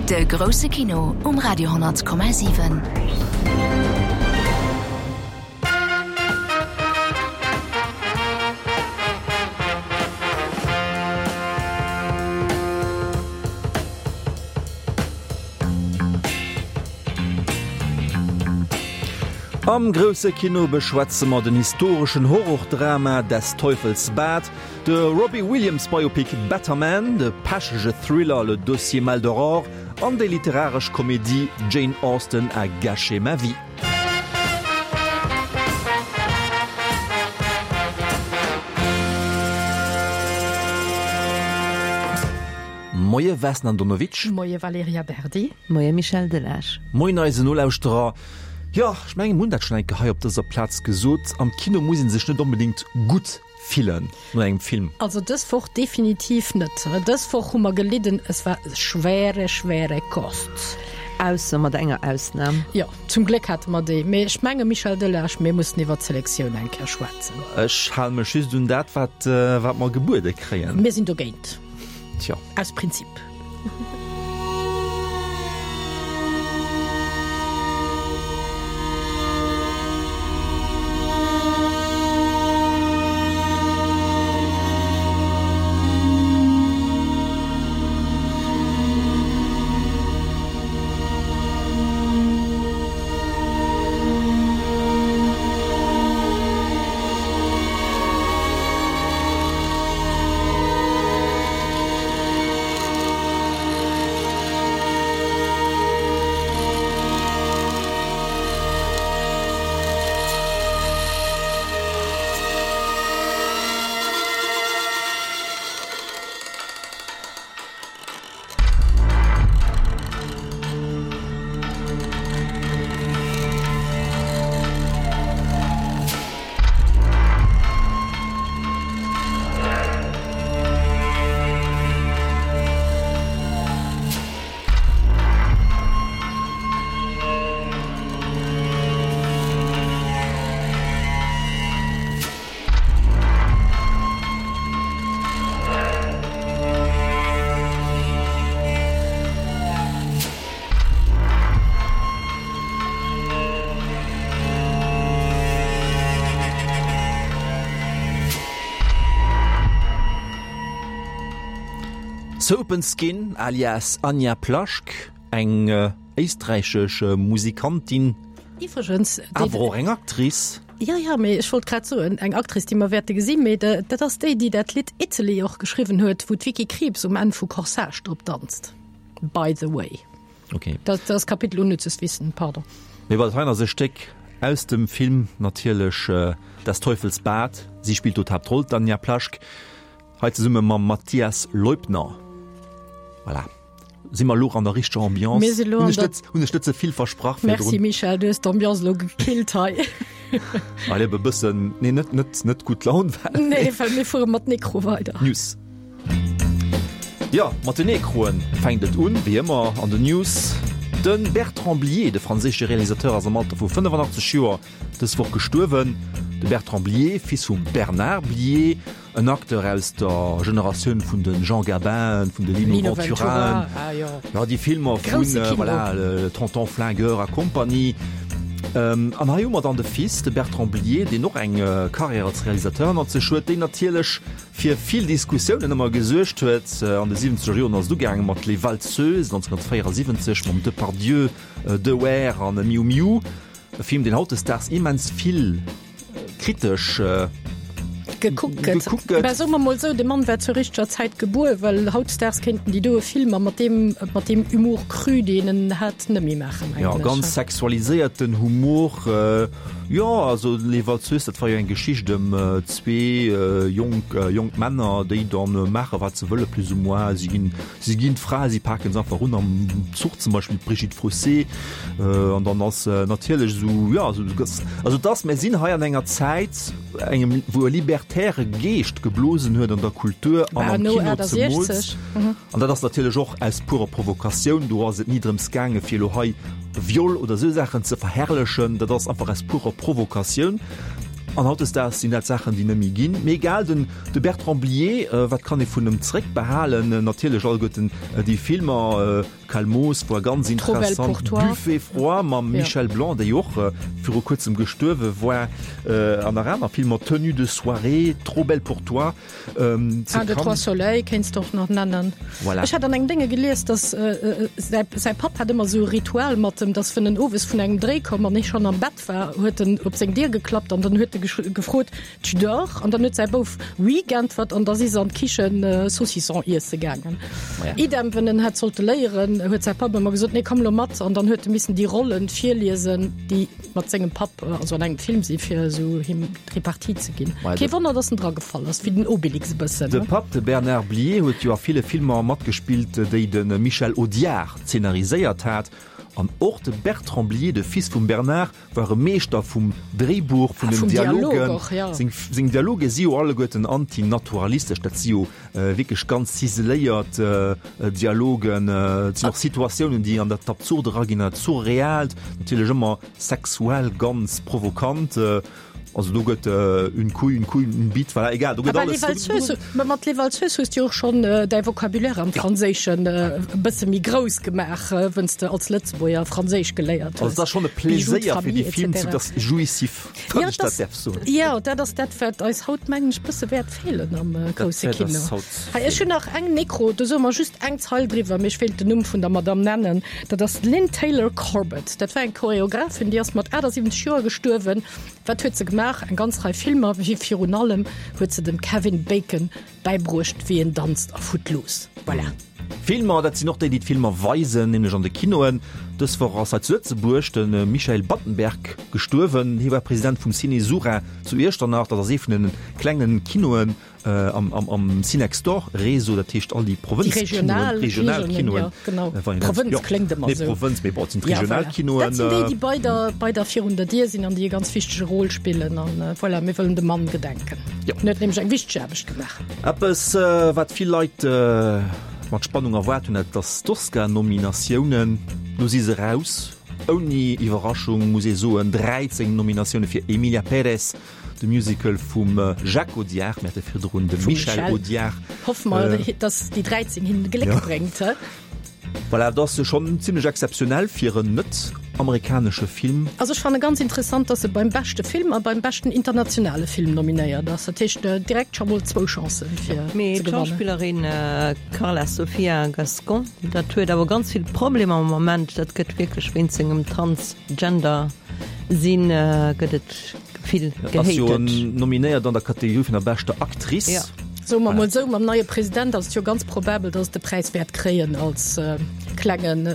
De grousse Kino um Radio 10,7. Am grousse Kino beschwätze mer den historeschen Horrordrama Des Teufels Bad, de Robbie Williams Biopic Better Man, de pechege Thriller Le Dossier Maldoror an déi literaresch Komedie Jane Austen a gâché ma vie. Moie Vesna Andonovic. Moie Valerija Berdi. Moie Michel Delage. Moien eisen Nolauschterer. Jo, ech mengen, mir hunn dat schonn eng Kéier hei op dëser Plaz gesot, am Kino muss ee sech net onbedéngt gutt fillen no engem Film. Also dës Woch definitiv net. Dës Woch hu mer gelidden, es war schwere, schwere Kost. Ausser mat enger Ausnam. Jo, zum Gléck hate mer déi. Mee ech menge Michel Delage, mir mussen iwwer d'Selektioun eng Kéier schwätzen. Ech hale mech just un dat, wat, wat mer gebuede kréien. Mir sinn dogéint. Tjo. Aus Prinzip. Soap and Skin alias Anja Plaschk, eng éisträichesch Musikantin, Iwwregens, awer och eng Actrice. Jo, jo, mee ech wollt grad soen, eng Actrice, déi mer wäerte gesinn, mee dat ass déi, déi dat Lidd Italy och geschriwwen huet, wou d'Vicky Krieps um Enn vu Corsage drop danzt, by the way. Okay. Dat ass Kapitel Unnützes Wissen, pardon. Mee wat hei ass e Stéck aus dem Film natierlech Des Teufels Bad. Si spillt do d'Haaptroll, d'Anja Plaschk, hei zesumme mam Matthias Leubner. Voilà. Si mer elo an der richteger Ambiance? Mir si lo an Hunn ech der. net, hunn ech net ze vill versprach virdrun? Merci Michel, du hues d'Ambiance elo gekillt hei. Well ebe bëssen, nee net, net, net gutt Laun war. Nee, well mir fuere mat Necro weider. News. Jo, mat den Necroen fänkt et un, wéi ëmmer an den News. De Bertrand Blier, de franséische Realisateur, ass am Alter vu 85 Joer dës Woch gestuerwen. De Bertrand Blier, Fils vum Bernard Blier, en Acteur aus der Generatioun vun de Jean Gabin, vun de Lino Venturaen, jo, déi Filmer vun, voilà, Tonton Flingueur a Compagnie. An hei hu mer dann de Fils, de Bertrand Blier, deen och eng Karriär als Realisateur hannert sech huet, deen natierlech fir vill Diskussiounen ëmmer gesuergt huet. An de siwwenzeger Joren ass et ugaange mat Les Valseuses 1974 mam Depardieu, Dewaere an Miu Miu, e Film, deen hautdesdaags immens vill kritesch gekuckt gëtt. Mä soe mer mol esou, de Mann war zur richteger Zäit gebuer, well hautdesdaags kéinten déi doe Filmer mat deem, mat deem Humour cru, deen en hat, net méi maachen Jo, eigentlech. ganz sexualiséierten Humor. Jo, also Les Valseuses, dat war jo eng Geschicht ëm zwee jonk, jonk Männer, déi dann maache wat se wëlle plus ou moins. Si ginn, si ginn d'Frae, si paken se einfach un am Zuch zum Beispill, d'Brigitte Frossé. An dann ass natierlech esou, jo, also also et ass, mir sinn hei an enger Zäit, engem, wou e libertäre Geescht geblosen huet an der Kultur an am Kino zemools. An dat ass natierlech och aus purer Provokatioun. Do ass et ni drëms gaange fir elo hei Viol oder esou Saachen ze verherrlechen. Dat ass einfach aus purer Provokatioun. An hautdesdaags sinn dat Saachen, déi net méi ginn. Mee egal, den de Bertrand Blier, wat kann ee vun em zréckbehalen? Natierlech alleguerten déi Filmer. Calmos war ganz interessant. Buffet froid mam Michel Blanc, dee jo och viru kuerzem gestuerwe war, an nach aner Filmer, Tenue de soirée, Trop belle pour toi. Un, deux, trois soleils kéints de och nach nennen. Voilà. Ech hat an engem Dénge gelies, dass säi, säi Papp hat ëmmer esou e Ritual mat em, dass wenn en owes vun engem Dréi koum an hie schonn am Bett war, huet en op seng Dier geklappt an dann huet e gefrot, Tu dors? An dann huet säi Bouf Oui geäntwert an da si se an d'Kichen Saucisson iesse gaangen. Idem, wenn en hätt sollte léieren, huet säi Papp ëmmer gesot, Nee, komm elo mat. An dann huet e missen déi Rollen virliesen, déi mat sengem Papp also an engem Film si fir esou him d'Repartie ze ginn. Kee Wonner, datt en dragefall ass, wéi den Obelix e bëssen. De Papp, de Bernard Blier, huet jo a ville Filmer matgespillt, déi de Michel Audiard zeenariséiert hat. An och de Bertrand Blier, de Fils vum Bernard, war e Meeschter vum Dréibuch, vun den Dialogen. Seng Dialoge si jo alleguerten antinaturalistesch, dat si jo wierklech ganz ziseléiert Dialogen. Et sinn och Situatiounen, déi an dat Absurde eraginn, dat Surreaalt, natierlech ëmmer sexuell ganz provokant. Also do gëtt une couille, une couille, une bite, voilà, egal, do gëtt alles. Les Valseuses, ma mat Les Valseuses hues du och schonn däi Vocabulaire am Franséischen e bësse méi grouss gemaach, wënn s de als Lëtzebuerger Franséisch geléiert hues. Also et ass schonn e Pleséier fir déi Film ze, dat ass jouissif, wann ech dat däerf soen. Jo, dat ass dat, wat eis haut, mengen ech, bësse wäert feelen am grousse Kino. Hei, ech hunn nach eng Necro, do soe mer just eng Zeil driwwer, mee ech wéilt den Numm vun der Madamm nennen, dat ass d'Lynn Taylor Corbett. Dat war eng Choreographin, déi ass mat 78 Joer gestuerwen. Wat huet se gemaach? Eng ganz Rei Filmer, mee virun allem huet se dem Kevin Bacon bäibruecht, wéi een danzt a Footloose. Voilà. Filmer, dat sinn och déi, déi d'Filmer weisen, nämlech an de Kinoen. Dës Woch ass hei zu Lëtzebuerg de Michael Battenberg gestuerwen. Hie war President vum Ciné Sura zu Iechternach. Dat ass ee vun de klenge Kinoen Am Cinextdoor Réseau, dat heescht all déi Provënzkinoen, Regionalkinoen. Provënz kléngt ëmmer esou. Provënz, mee bon, et sinn d'Regionalkinoen. Dat sinn déi, déi bei der, bei der virun der Dier sinn an déi e ganz wichtege Rôle spillen. An voilà, mir wëllen dem Mann gedenken. Jo. En huet nämlech eng wichteg Aarbecht gemaach. Eppes, wat vill Leit mat Spannung erwaart hunn, dat ass d'Oscar-Nominatiounen. Lo si se raus. Ouni Iwwerraschung muss ee soen, 13 Nominatioune fir Emilia Pérez, De Musical vum Jacques Audiard, mir hate virdrun de Michel Audiard. Hoffe mer, dass déi 13 hinnen Gléck bréngt. Voilà, dat ass schonn zimlech exzeptionell fir en net-amerikanesche Film. Also ech fanne ganz interessant, dass e beim beschte Film a beim beschten internationale Film nominéiert ass. Dat heescht direkt scho mol zwou Chancen fir ze gewannen. Mee d'Schauspillerin Carla Sofia Gascon, dat huet awer ganz vill Problemer am Moment. Dat gëtt wierklech wéinst sengem Transgender-Sinn gëtt et vill gehatet. Ass jo nominéiert an der Kategorie vun der beschter Actrice. Ja. Soe mer mol esou, mam neie President ass et jo ganz probabel, dass et de Präis wäert kréien als klengen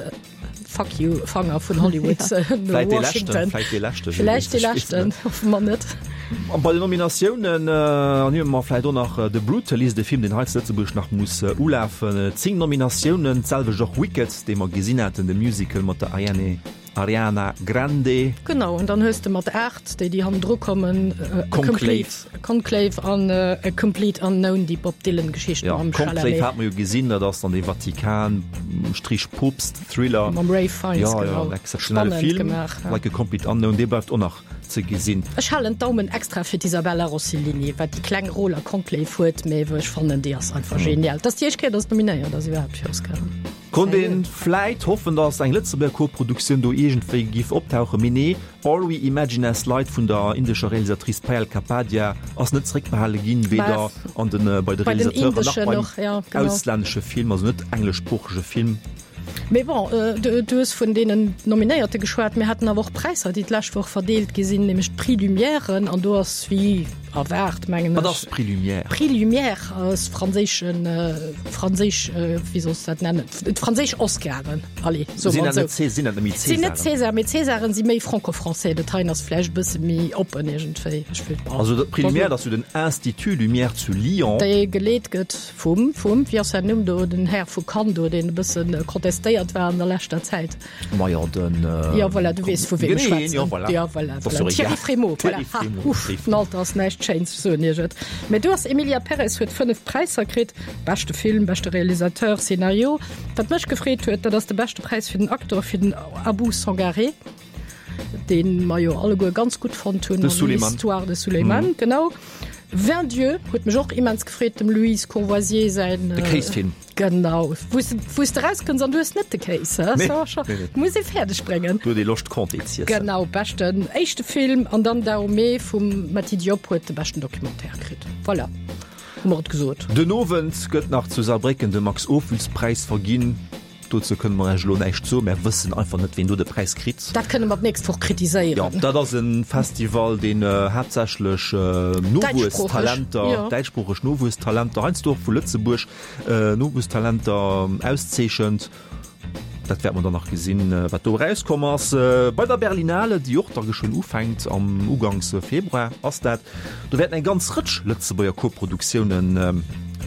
Fuck you Fanger vun Hollywood no Vläit dee leschten, vläit dee leschten. Vläicht dee leschten, hoffe mer net. A bei den Nominatiounen ernimme mer vläicht och nach The Brutalist, e Film, deen hei zu Lëtzebuerg nach muss ulafen. 10 Nominatiounen, d'selwecht och Wicked, dee mer gesinn haten, de Musical mat der Ariane Ariana Grande. Genau, an dann hues de mat 8, déi déi hannendru kommen, Conclave. Conclave an A Complete Unknown, déi Bob Dylan Geschicht mam Chalamet. Conclave hat mer jo gesinn, dat ass dann dee Vatikan Strich Poopst Thriller. Mam Ralph Fiennes, genau. Jo, jo, en exzeptionelle Film. Like A Complete Unknown, dee bleift och nach ze gesinn. Ech halen d'Daumen extra fir d'Isabella Rossellini, wat déi kleng Rôle a Conclave huet, mä wou ech fannen, déi ass einfach genial. Dass déi éischt Kéier, dass nominéiert ass iwwerhaapt fir Oscaren. Konnt een vläit hoffen, dass eng Lëtzebuerger Koproduktioun do iergendwéi giff optauchen, mee nee, All We Imagine As Light vun der indescher Realisatrice Payal Kapadia ass net zeréckbehale ginn, weder an den bei de Realisateuren nach beim auslännesche Film, also net engleschsproochege Film. Mee bon, du hues vun deenen Nominéierte geschwat, mir haten awer och Präisser, déi d'lescht Woch verdeelt gi sinn, nämlech d'Prix Lumièren, an do ass wéi erwaart, mengen ech. Wat ass Prix Lumière? Prix Lumière ass franséischen, franséisch, wéi soll s dat nennen, d'franséisch Oscaren, allez, soe mer et esou. Sinn dat net méi Césaren? Sinn net César, mee Césaren si méi franco-français, dat heien ass vläicht e bësse méi oppen iergendwéi. Ech wëll, bon. Also dat Prix Lumière, dat ass jo den Institut Lumière zu Lyon. Dee geleet gëtt vum, vum, wéi ass säin Numm do, den Här vu Cannes do, deen e bësse contestéiert war an der leschter Zäit. Majo den Jo voilà, du weess vu weem ech schwätzen. Jo voilà, jo, voilà, voilà. Thierry Frémaux, voilà. Ha, uff, den Alter ass näischt Schéins, ech soen iech et. Mä du ass Emilia Pérez huet 5 Präisser kritt, beschte Film, beschte Realisateur, Scénario. Wat mech gefreet huet, dat ass de beschte Präis fir den Acteur fir den Abou Sangaré, dee mer jo alleguer ganz gutt fonnt hunn an L'Histoire de Souleymane, genau. 20 Dieux huet mech och immens gefreet, dem Louise Courvoisier säin. De Kéisfilm. Genau, wou s wou s de rauskënns an du hues net de Kéis, hä? Nee, So, scho, nee, nee. muss ee fäerdeg bréngen. Do huet ee Loscht Comté z'iessen. Genau, beschten éischte Film an dann Dahomey vum Mati Diop huet de beschten Documentaire kritt. Voilà, hu mer et gesot. Den Owend gëtt nach zu Saarbrécken de Max-Ophüls-Präis verginn. Dozou kënne mer Iech elo näischt soen. Mär wëssen einfach net, ween do de Präis kritt. Dat kënne mer d'nächst Woch kritiséieren. Jo, dat ass e Festival, deen haaptsächlech Nowuesstalenter, däitschsproocheg Nowuesstalenter, heiansdo och vu Lëtzebuerg Nowuesstalenter auszeechent. Dat wäerte mer dann nach gesinn, wat do erauskomm ass. Bei der Berlinale, déi och da geschwënn ufänkt, am Uganks Februar ass dat, do wäerten eng ganz Rëtsch Lëtzebuerger Koproduktiounen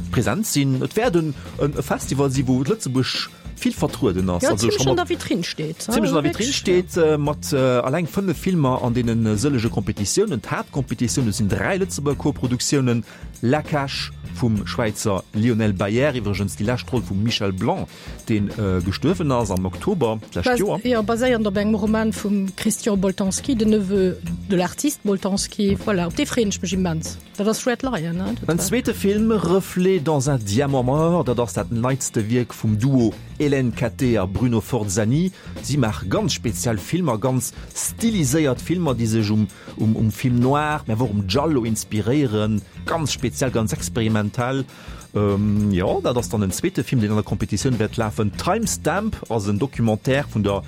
present sinn. Et wäert en e Festival si wou Lëtzebuerg vill vertrueden ass. Ja, zimmlech an der Vitrinn steet. Zimmlech an der Vitrinn steet, mat alleng 5 Filmer an deene sëllege Kompetitiounen. D'Haaptkompetitioun, do sinn 3 Lëtzebuerger Koproduktiounen, La Cache vum Schwäizer Lionel Baier, iwwregens déi lescht Roll vum Michel Blanc, dee gestuerwen ass am Oktober d'lescht Joer. Jo, baséiernd op engem Roman vum Christian Boltanski, de Neveu de l'artiste Boltanski. Voilà, op dee freeën ech mech immens. Dat ass Red Lion, ne? En zweete Film, Reflets dans un diamant mort, dat ass dat neitste Wierk vum Duo Hélène Cattet a Bruno Forzani. Si maache ganz speziell Filmer, ganz stiliséiert Filmer, déi sech um um Film noir, mä awer och um Giallo inspiréieren. Ganz speziell, ganz experimentell. Jo, dat ass dann en zweete Film, deen an der Competitioun wäert lafen. Time Stamp ass en Documentaire vun der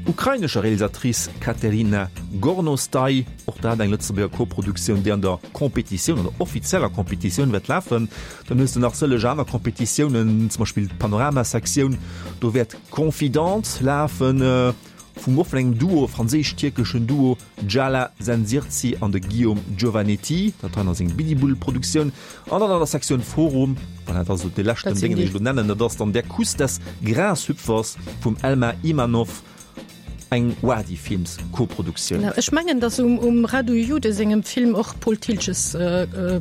ukrainescher Realisatrice Kateryna Gornostai. Och dat eng Lëtzebuerger Koproduktioun, déi an der Competitioun, an der offizieller Competitioun wäert lafen. Dann hues de nach sëlleg aner Competitiounen, zum Beispill d'Panorama-Sektioun, do wäert Confidente lafen, vum och vun engem Duo, franséisch-tierkeschen Duo, Djala Sensirci an de Guillaume Giovanetti. Dat hei ass eng Bidibul-Produktioun. An dann an der Sektioun Forum, voilà, dat ass elo dee leschten Déngen, deen ech elo nennen, dat ass dann Der Kuss des Grashüpfers vum Elmar Imanov. Eng Wadi Films Koproduktioun. Ech mengen, datt um Radu Jude sengem Film och Paul Thiltges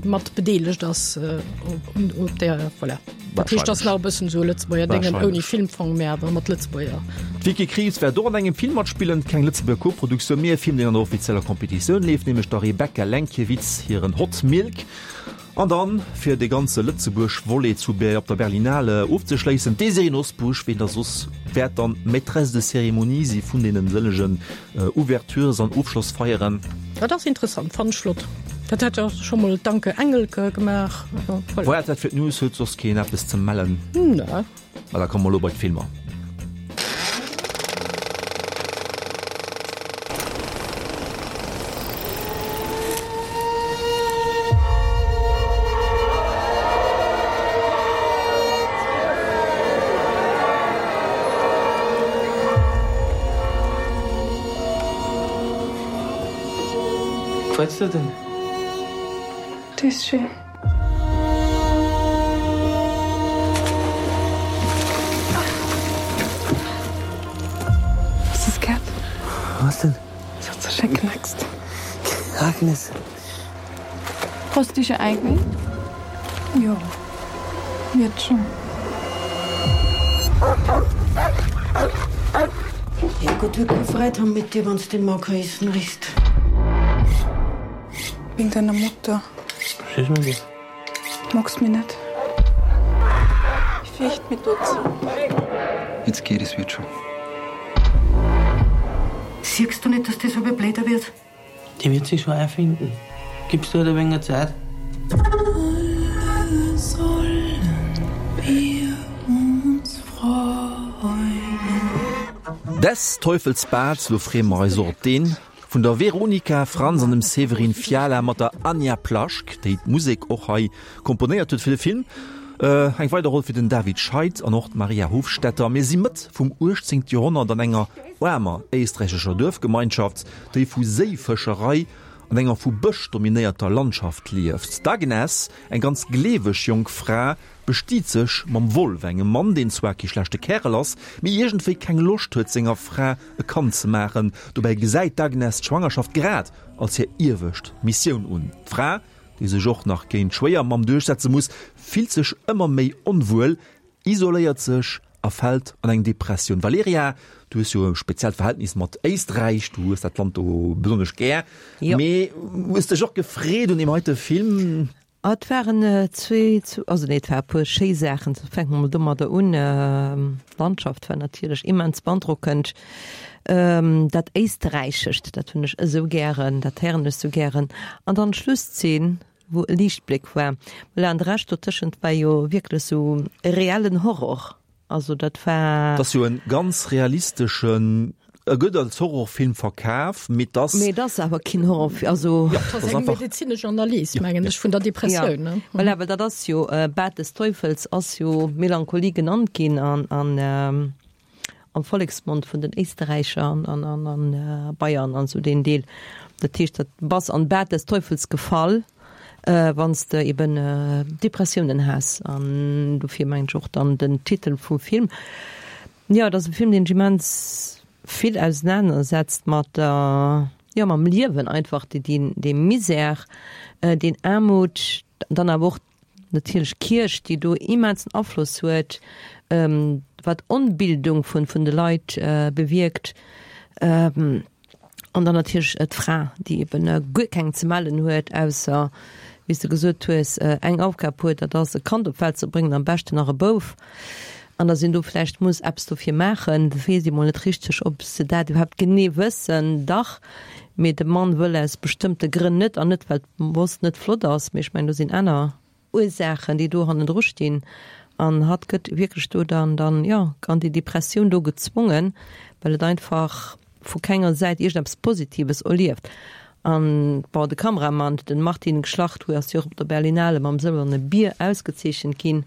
mat bedeelegt ass op där, voilà. Dat heescht, ass nach e bëssen esou e Lëtzebuerger Déngen ouni Filmfong, mä awer mat Lëtzebuerger. D'Vicky Krieps wäert och an engem Film matspillen, keng Lëtzebuerger Koproduktioun, mee e Film, deen an der offizieller Kompetitioun leeft, nämlech der Rebecca Lenkiewicz hiren Hot Milk. An dann, fir de ganze Lëtzebuerg-Volet zu op der Berlinale ofzeschléissen, d'Désirée Nosbusch, ween da soss, wäert dann Maîtresse de cérémonie si vun deenen sëllegen Ouvertures an Ofschlossfeieren. Dat ass interessant, fannen ech flott. Dat hat jo scho mol d'Anke Engelke gemaach. Voilà, dat fir d'News. Huet soss keen eppes ze mellen? Nee. Ma da komme mer elo bei d'Filmer. Gefällt's dir denn? Das ist schön. Hast du's gehört? Was denn? Es hat so schön knackst. Agnes. Hast du dich schon eingewöhnt? Ja. Wird schon. Ja Gott wird keine Freude haben mit dir, wenn du den Mark heißen riechst. Wegen deiner Mutter. Was ist mit dir? Magst mich nicht? Ich fürchte mich trotzdem. Jetzt geht es wird schon. Siehst du nicht, dass das aber blöder wird? Die wird sich schon einfinden. Gibst du halt ein wenig Zeit? Alle sollen wir uns freuen. Des Teufels Bad, lo freeë mer eis och op deen vun der Veronika Franz an dem Severin Fiala mat der Anja Plaschk, déi d'Musek och hei komponéiert huet fir de Film. Eng weider Roll fir den David Scheid an och d'Maria Hofstetter. Mir si Mëtt vum 18. Joerhonnert an enger aarmer éisträichescher Duerfgemeinschaft, déi vu Séifëscherei an enger vu Bësch dominéierter Landschaft lieft. D'Agnes, eng ganz gleeweg jonk Fra, bestiet sech mam Wolf, engem Mann, deen zwar kee schlechte Kärel ass, mee iergendwéi keng Loscht huet, senger Fra e Kand ze maachen. Dobäi gesäit d'Agnes d'Schwangerschaft grad als hir iewescht Missioun un. D'Fra, déi sech och nach géint d'Schwéiermamm duerchsetze muss, fillt sech ëmmer méi onwuel, isoléiert sech. a fält an eng Depressioun. Valerija, du hues jo e speziellt Verhältnis mat Éisträich, du hues dat Land do besonnesch gär, mee hues dech och gefreet un deem heite Film? Ah, et waren zwee, also nee, et war e puer schéi Saachen. Fänke mer mol domadder un, D'Landschaft war natierlech immens beandrockend. Dat Éisträichescht, dat hunn ech esou gären, dat héieren ech esou gären. An dann d'Schlusszeen, wou e Liichtbléck war. Voilà, an de Rescht dotëschent war jo wierklech esou e reellen Horror. Also dat war. Et ass jo e ganz realisteschen, e gëtt als Horrorfilm verkaf, mee et ass. Mee et ass awer keen Horrorfilm, also. Jo, et ass eng medezinesch Analys, mengen ech, vun der Depressioun, ne? Ja, voilà, well dat ass jo, Bad des Teufels ass jo Melancholie genannt ginn an, an. am Volleksmond vun den Éisterräicher an an an Bayern an esou deen Deel. Dat heescht, dat bass an d'Bad des Teufels gefall, wann s de eben Depressiounen has. An dofir mengen ech och dann den Titel vum Film. Jo, et ass e Film, deen sech immens vill ausenanersetzt mat der, jo, mam Liewen einfach, dee dee Misär, deen Aarmut, dann awer och Natierlech d'Kierch, déi do immensen Afloss huet, wat Onbildung vun vun de Leit bewierkt. An dann natierlech d'Fra, déi eben guer keng ze mellen huet, ausser, wéi s de gesot hues, eng Aufgab huet, dat ass e Kand op d'Welt ze bréngen, am beschten nach e Bouf. An datt een do vläicht muss eppes dofir maachen, weess ee mol net richteg, ob se dat iwwerhaapt genee wëssen. Dach, mee de Mann wëll aus bestëmmte Grënn net, an net well d'Moss net flott ass, mee ech mengen do sinn aner Ursaachen, déi do hannendru stinn. An hatt gëtt wierklech do dann, dann, jo, an déi Depressioun do gezwongen, well et einfach vu kenger Säit iergendeppes Positives erlieft. An, bon, de Kameramann, den Martin Gschlacht, hu ass jo och op der Berlinale mam Sëlwerne Bier ausgezeechent ginn.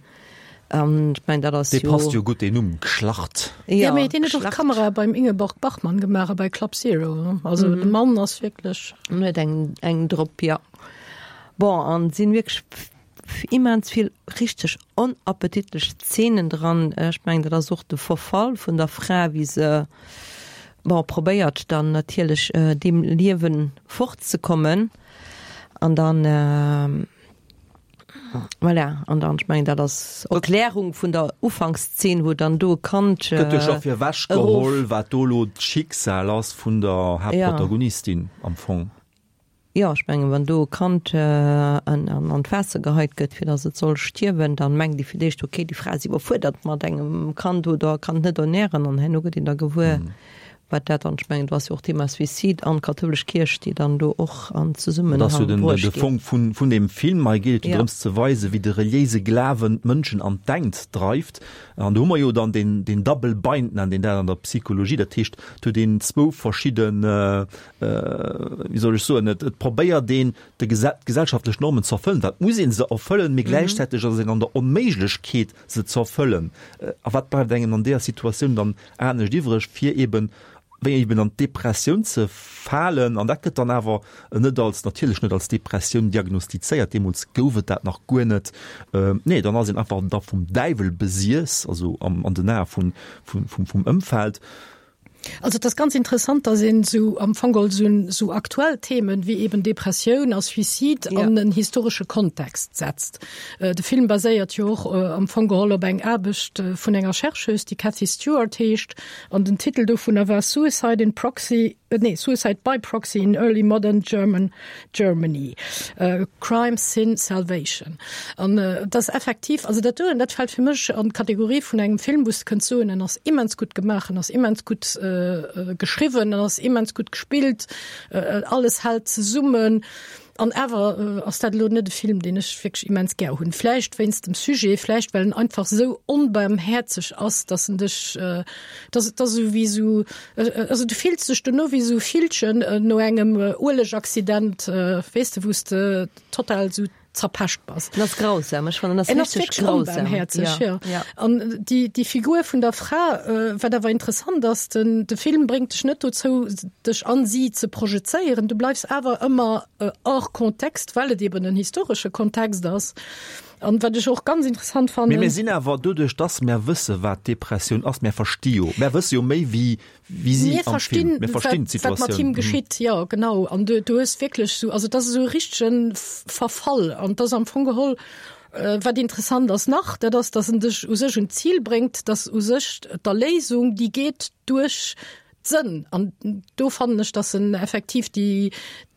An ech mengen, dat ass jo. Dee passt jo gutt, deen Numm, Gschlacht. Jo, mee deen huet och d'Kamera beim Ingeborg Bachmann gemaach a bei Club Zero. Also de Mann ass wierklech. En huet eng, eng drop, jo. Bon, an et sinn wierklech immens vill richteg onappetitlech Zeenen dran. Ech mengen, dat ass och de Verfall vun der Fra, wéi se, bon, probéiert dann natierlech deem Liewe fortzekommen. An dann, voilà, an dann, ech mengen, dat ass Erklärung vun der Ufankszeen, wou dann do e Kand Gëtt jo scho virwech geholl, wat do elo d'Schicksal ass vun der Haaptprotagonistin am Fong. Jo, ech mengen, wann do e Kand an d'Waasser geheit gëtt, fir datt et soll stierwen, dann mengt ee fir d'éischt, okay, déi Fra ass iwwerfuerdert mat engem Kand oder kann et net ernären. An herno gëtt een da gewuer, wat dat dann, ech mengen, do ass jo och d'Thema Suicide an d'kathoulesch Kierch, déi dann do och an Zesummenhang bruecht ginn. Dat ass jo de Fong vun deem Film. Hei geet et jo drëms ze weisen, wéi de reliéise Glawen d'Mënschen an d'Engt dreift. An do hu mer jo dann deen Double Bind, nennt een dat an der Psychologie. Dat heescht, et huet een zwou verschidden, wéi soll ech soen, et probéiert een de d'gesellschaftlech Normen ze erfëllen, dat muss ee se erfëllen, mee gläichzäiteg ass een an der Onméiglechkeet se ze erfëllen. A wat bleift engem an deeër Situatioun dann anescht iwwreg, fir eben, wéi eben an d'Depressioun ze falen? An dat gëtt dann awer net als, natierlech net als Depressioun diagnostizéiert, deemools gouf et dat nach guer net. Nee, dann ass een einfach da vum Däiwel besiess, also an den Ae vum Ëmfeld. Also et ass ganz interessant, dass een esou am Fong geholl esou esou aktuell Themen wéi eben Depressioun a Suicide ja. an en historesche Kontext setzt. Äh, de Film baséiert jo och äh, am Fong geholl op eng Aarbecht äh, vun enger Chercheuse, déi Cathy Stewart heescht, an den Titel dovunner war Suicide in Proxy, äh, nee, Suicide by Proxy in Early Modern German Germany, äh, Crime, Sin, Salvation. An äh, das effektiv, also dat doen, dat fällt fir mech an d'Kategorie vun engem Film, wou s de kënns soen, en ass immens gutt gemaach, en ass immens gutt äh, äh, geschriwwen, en ass immens gutt gespillt, äh, alles hält zesummen. An awer äh, ass dat elo net e Film, deen ech wierklech immens gär hunn. Vläicht wéinst dem Sujet, vläicht well en einfach sou onbarmhäerzeg ass, dass en dech, äh, dass, dass esou wéi sou, Also du fills dech dono wéi sou Villchen no engem Uelegaccident, weess de, wou s de total sou zerpescht bass. En ass grausam, ech fannen, en ass richteg grausam. Onbarmhäerzeg, jo. An déi, déi Figur vun der Fra, wat awer interessant ass, den, de Film bréngt dech net dozou, dech an si ze projezéieren, du bleifs awer ëmmer hors contexte, well et eben en historesche Kontext ass. An wat ech och ganz interessant fannen. Mee mir sinn awer, doduerch dass mär wësse wat Depressioun ass, mär versti jo, mär wësse jo méi wéi wéi si am Film. Mir verstinn d'Situatioun. Wat mat him geschitt, jo genau. An du, du hues wierklech esou, also et ass esou e richtege Verfall an et ass am Fong geholl. Wat interessant ass nach, dat ass, datt en dech u sech un d'Zil bréngt, datt u sech d'Erléisung, déi geet duerch d'Sënn. An do fannen ech, datt en effektiv déi,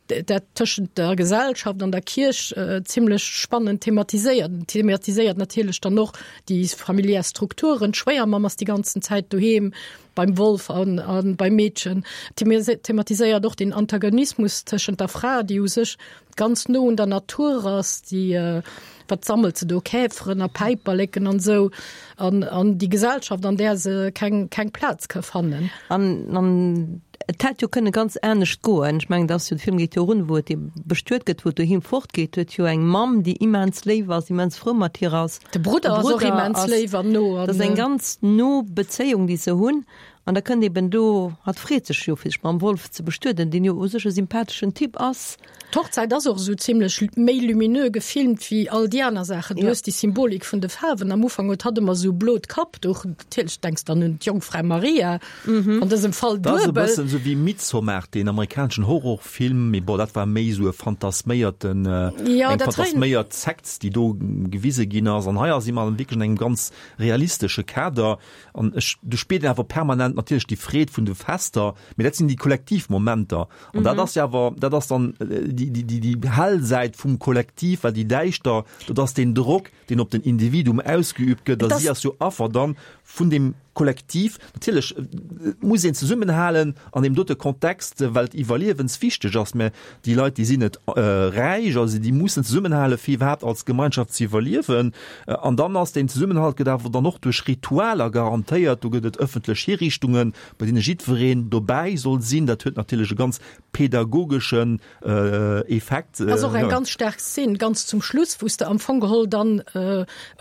dat tëschent der Gesellschaft an der Kierch zimlech spannend thematiséiert. En thematiséiert natierlech dann och déi familiär Strukturen, d'Schwéiermamm ass déi ganzen Zäit doheem beim Wolf an, an beim Meedchen. Thematiséiert och den Antagonismus tëschent der Fra, déi u sech ganz no un der Natur ass, déi, wat sammelt se do, Käferen a Päiperleken an esou, an, an déi Gesellschaft, an där se keng, keng Plaz ka fannen. An, an et hätt jo kënne ganz anescht goen. Ech mengen, et ass jo, de Film geet jo erun, wou et ebe bestuet gëtt, wou et doheem fortgeet, huet jo eng Mamm, déi immens léif ass, immens frou mat hir ass. De Brudder ass och immens léif an no. Dat ass eng ganz no Bezéiung, déi se hunn. An da kënnt eben do, hatt freet sech jo fir sech mam Wolf ze bestueden, deen jo u sech e sympatheschen Typ ass. D'Hochzäit ass och esou zimlech méi lumineux gefilmt wéi all déi aner Saachen. Du hues déi Symbolik vun de Faarwen. Am Ufank huet hatt ëmmer esou blot Kappduch. Natierlech denks dann un d'Jongfra Maria, an dësem Fall Dat ass e duebel. bëssen esou wéi Midsommar, deen amerikaneschen Horrorfilm, mee bon, dat war méi esou e fantasméierten, Jo, eng dat hei. fantasméiert Sekt, déi do gewise ginn ass. An hei si mer wierklech an engem ganz realistesche Kader. An ech, du spiert een awer permanent natierlech déi Freed vun de Fester, mee dat sinn déi kollektiv Momenter. An dat ass jo awer, dat ass dann déi, déi, déi, déi hell Säit vum Kollektiv, well déi däischter, dat ass deen Drock, deen op den Individuum ausgeübt gëtt. A si ass jo Affer dann vun deem Kollektiv. Natierlech, et muss een zesummenhalen an deem dote Kontext, well et iwwerliewenswichteg ass, mä déi Leit, déi sinn net räich, also déi mussen zesummenhale fir iwwerhaapt als Gemeinschaft ze iwwerliewen. An dann ass deen Zesummenhalt gëtt awer dann och duerch Ritualer garantéiert. Do gëtt et ëffentlech Hiriichtungen, bei deene jiddwereen dobäi soll sinn. Dat huet natierlech e ganz pädagogeschen Effekt. Ass och eng ganz staark Szen ganz zum Schluss, wou s de am Fong geholl dann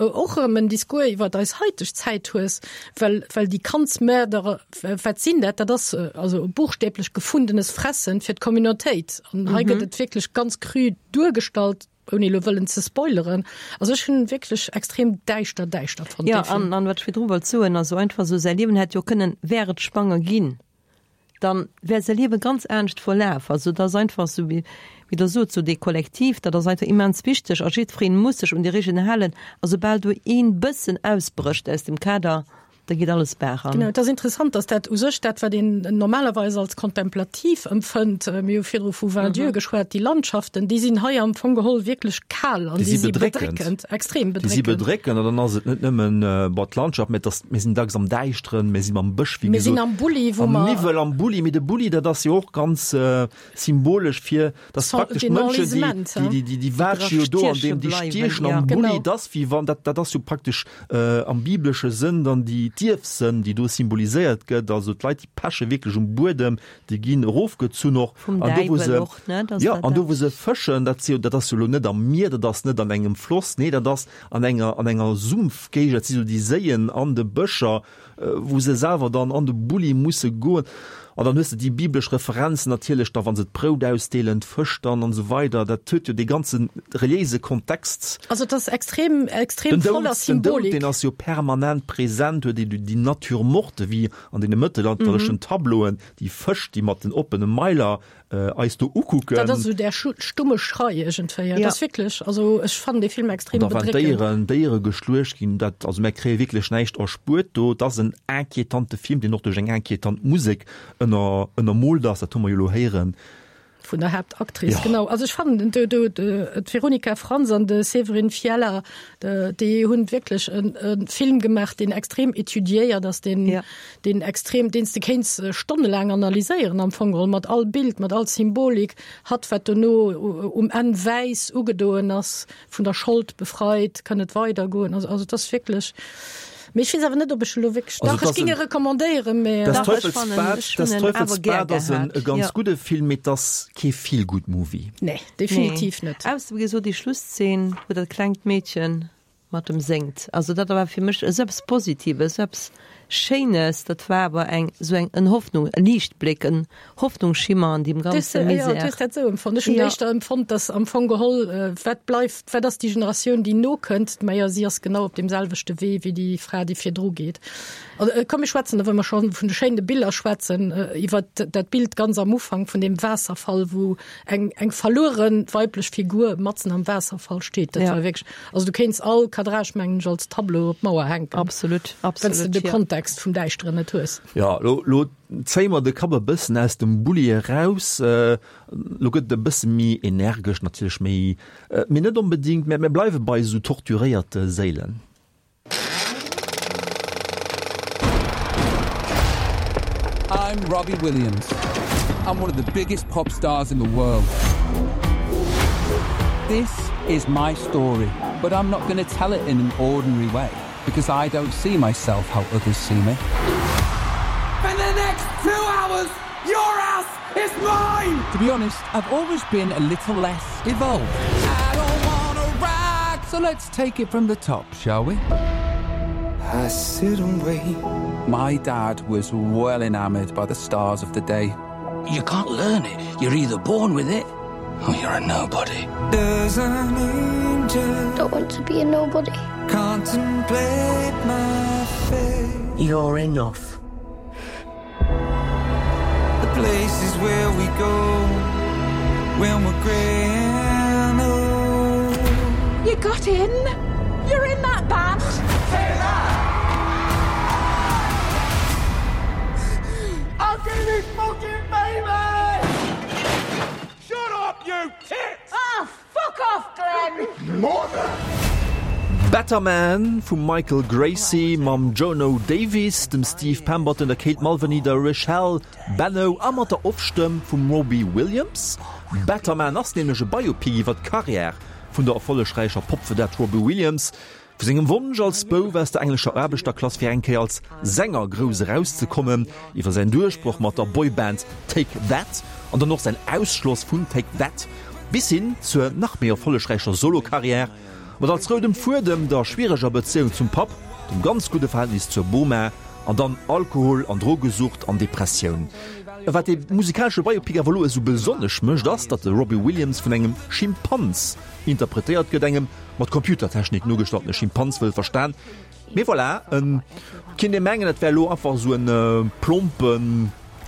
och erëm en Discours iwwer eis haiteg Zäit hues, well well déi Kandsmörder, wat sinn dat? Dat ass also buchstäblech gefundenes Fressen fir d'Communautéit. An hei gëtt et wierklech ganz cru duergestallt, ouni elo wëllen ze spoileren. Also ech hunn wierklech extrem däischter, däischter fonnt dee Film. Jo, an wat ech virdru wollt soen, also einfach esou säi Liewen hätt jo kënnen, wär et schwanger ginn, dann wär säi Liewe ganz anescht verlaf. Also et ass einfach esou, wéi Der sot, esou dee Kollektiv, dat ass einfach immens wichteg a jiddwereen muss sech un déi Regeln halen. A soubal do een bëssen ausbrécht aus dem Kader, da geet alles bergan. Genau, et ass interessant, dass dat u sech dat, wat een normalerweis als kontemplativ empfënnt, mir hu virdru vu Vin-Dieu geschwat, déi Landschaften, déi sinn hei am Fong geholl wierklech kal an déi si bedréckend, extrem bedréckend. Déi si bedréckend an dann ass et net nëmmen, bon, d'Landschaft, mä et ass, mir sinn dacks am Däischteren, mir si mam Bësch, wéi gesot. Mir sinn am Bulli, wou mer. Am Niwwel, am Bulli, mee de Bulli, dat ass jo och ganz symbolesch fir, dass praktesch d'Mënschen, déi, déi, déi waatsche jo do an deem, déi stiechen am Bulli, et ass wéi wann, dat, dat ass jo praktesch am biblesche Sënn dann déi d'Ierfsënn, déi do symboliséiert gëtt, also d'Leit, déi peche wierklech um Buedem, déi ginn erofgezunn och. Vum Däiwel och, ne? Jo, an do wou se fëschen, dat si jo, dat ass jo elo net am Mier, dat ass net an engem Floss, nee, dat ass an enger, an enger Sumpfgéigend, dat si sou déi Séien an de Bëscher, wou se selwer dann an de Bulli musse goen. An dann hues de déi biblesch Referenzen natierlech da, wa se d'Brout ausdeelen, d'Fësch dann an esou weider. Dat huet jo dee ganze reliéise Kontext. Also et ass extrem, extrem Den Doud, voller den Doud, Symbolik. deen ass jo permanent present, huet ee déi Nature morte wéi an deene mëttelalterlechen Tableauen, déi Fësch, déi mat den oppene Mailer eis do ukucken. Dat ass esou där stumme Schrei iergendwéi. Dat ass wierklech, also ech fannen dee Film extrem bedréckend. An da wann Déieren, Déiere geschluecht ginn, dat, also mär kréie wierklech näischt erspuert do. Et ass en inquietante Film, deen och duerch eng inquietant Musek ënner, ënnermoolt ass, dat hu mer jo elo héieren. Vun der Haaptactrice, genau. Also ech fannen do, do, d'Veronika Franz an de Severin Fiala, déi hunn wierklech e Film gemaach, deen extrem étudiéiert ass, deen, deen extrem, deen s de kéints stonnelaang analyséieren am Fong geholl, mat all Bild, mat all Symbolik, hatt wat dono um Enn wäiss ugedoen ass, vun der Schold befreit, kann et weidergoen. Also, also et ass wierklech, mee ech weess awer net, ob ech elo wierklech, Also dach, et ech ass géing en e recommandéieren, mee. Des Dach, ech fannen, Teufelsbad, ech Des hunn en awer gär Teufelsbad ass en gehat, e ganz jo. gudde Film, mee et ass kee Feel-Good-Movie. Nee, definitiv net. Ausser, wéi gesot, déi Schlusszeen, wou dat klengt Meedchen mat em séngt. Also dat war fir mech esou eppes Positives, esou eppes. Schéines, dat war awer eng esou eng en Hoffnung, e Liichtbléck, en Hoffnungsschimmer an deem ganze Misär. Jo, du hues dat esou empfonnt. Ech hunn éischter empfonnt, datt am Fong geholl, wat bleift, wat ass déi Generatioun, déi nokënnt? Majo, si ass genau op deem selwechte Wee wéi déi Fra, déi virdru geet. Komm mir schwätzen, wa mer scho vun de schéine Biller schwätzen, iwwer dat Bild ganz am Ufank vun deem Waasserfall, wou eng eng verluere weiblech Figur matzen am Waasserfall steet. Dat war wierklech, also du kéints all Cadrage, mengen ech, als Tableau op d'Mauer hänken. Absolut, absolut. Wann s de de Kontext vum Däischteren net hues. Jo, lo, lo zéie mer de Kapp e bëssen aus dem Bulli eraus. Lo gëtt et e bësse méi energesch, natierlech méi, mee net onbedéngt, mä mir bleiwe bei esou torturéierte Séilen. I'm Robbie Williams. I'm one of the biggest pop stars in the world. This is my story, but I'm not going to tell it in an ordinary way because I don't see myself how others see me. For the next two hours, your ass is mine! To be honest, I've always been a little less evolved. I don't wanna rock, so let's take it from the top, shall we? I sit and wait. My dad was well enamored by the stars of the day. You can't learn it. You're either born with it or you're a nobody. Does an angel don't want to be a nobody. Contemplate my fate. You're enough. The places where we go when we're grey and old. You got in? You're in that band? Say that! I'm gonna be fucking famous! Shut up, you tit! Ah, fuck off, Glenn! Mother! Better Man vum Michael Gracey mam Jonno Davies, dem Steve Pemberton, der Kate Mulvany, der Rachael Bannow a mat der Off-Stëmm vum Robbie Williams. Better Man ass nämlech e Biopic iwwer d'Karriär vun der erfollegräicher Pop-Vedette Robbie Williams. Vu sengem Wonsch als Bouf aus der englescher Aarbechterklass fir eng Kéier als Sänger grouss erauszekommen, iwwer säin Duerchbroch mat der Boyband Take That an dann och säin Ausschloss vun Take That bis hin zur nach méi erfollegräicher Solo-Karriär, mat als roudem Fuedem der schwiereger Bezéiung zum Papp, dem ganz gudde Verhältnis zur Boma an dann Alkohol an Drogesucht an Depressioun. Wat dee musikalesche Biopic awer elo esou besonnesch mécht, ass, datt de Robbie Williams vun engem Schimpans interpretéiert gëtt, engem mat Computertechnik nogestaltene Schimpanz wëll verstan. Mee voilà, et kinnt ee mengen, et wär elo einfach esou e plompe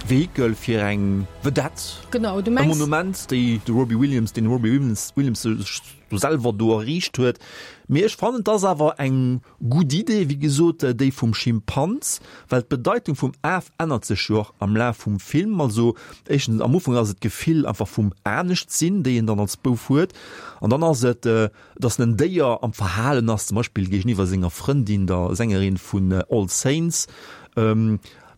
Vehikel fir eng Vedette, Genau, du e mengs. Monument, déi de Robbie Williams, deen de Robbie Williams sech do selwer do erriicht huet. Mee ech fannen, et ass awer eng gutt Idee, wéi gesot, déi vum Schimpanz, well d'Bedeitung vum Af ännert sech jo och am Laf vum Film. Also éischtens, am Ufank ass et d'Gefill einfach vum Anescht-sinn, déi een dann als Bouf huet, an dann ass et, dass en Déier am Verhalen ass, zum Beispill géigeniwwer senger Frëndin, der Sängerin vun All Saints.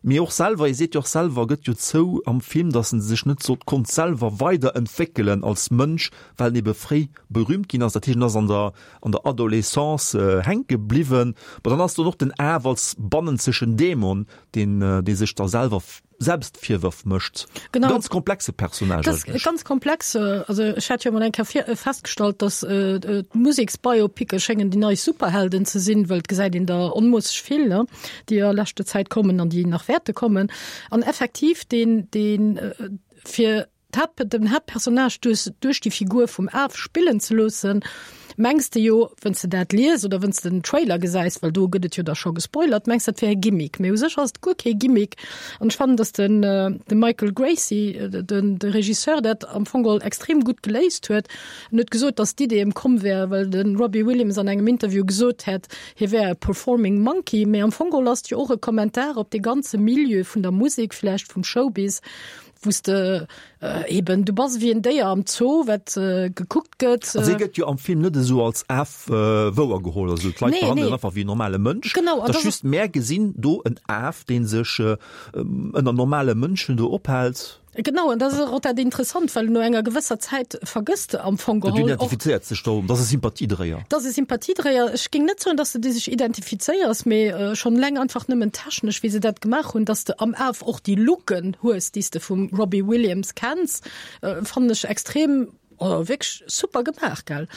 Mee och selwer, e seet jo och selwer, gëtt jo zou am Film, dass en sech net sollt konnt selwer weiderentwéckelen als Mënsch, well en ebe fréi berühmt ginn ass. Dat heescht, en ass an der an der Adolescence hänke bliwwen. Bon, dann ass do och den Af als bannenzegen Dämon, deen dee sech da selwer Selbstvirwërf mécht. Genau. Ganz komplexe Personnage Das eigentlech. ganz komplex. Also ech hat jo mol eng Kéier vir festgestallt, dass d'Museksbiopicke schéngen déi nei Superhelden ze sinn, well et gesäit een der onmoosseg vill, ne, déi a leschter Zäit kommen an déi nach wäerte kommen. An effektiv deen, deen fir d'Haupt, den Haaptpersonnage duerch, duerch déi Figur vum Af spillen ze loossen, mengs de jo, wënns de dat lies oder wënns de den Trailer gesäis, well do gëtt et jo da scho gespoilert, mengs dat wär e Gimmick. Mee u sech ass et guer kee Gimmick. An ech fannen, datt den, de Michael Gracey, den, de Regisseur, dat am Fong geholl extrem gutt geléist huet. En huet gesot, datt d'Idee ëm komm wär, well de Robbie Williams an engem Interview gesot hätt, hie wär e performing monkey. Mee am Fong geholl ass et jo och e Kommentar op dee ganze Milieu vun der Musek, vläicht vum Showbiz, wou s de eben, du bass ewéi en Déier am Zoo, wat gekuckt gëtt. Also hie gëtt jo am Film net esou als Af wouer geholl, also d'Leit behandelen en einfach wéi en normale Mënsch. Genau, an dat ass just, mär gesinn do en Af, dee sech ënner normale Mënschen do ophält. Genau, an dat ass och dat Interessant, well no enger gewësser Zäit vergëss de am Fong geholl och. Identifizéiert sech do, dat ass e Sympathiedréier. Dat ass e Sympathiedréier. Ech géing net soen, datt s de dech identifizéiers, mee schonn eleng einfach nëmmen technesch, wéi se dat gemaach hunn, dass de am Af och déi Looken hues, déi s de vum Robbie Williams kenns, fannen ech extrem. Oh, wierklech super gemaach, gell?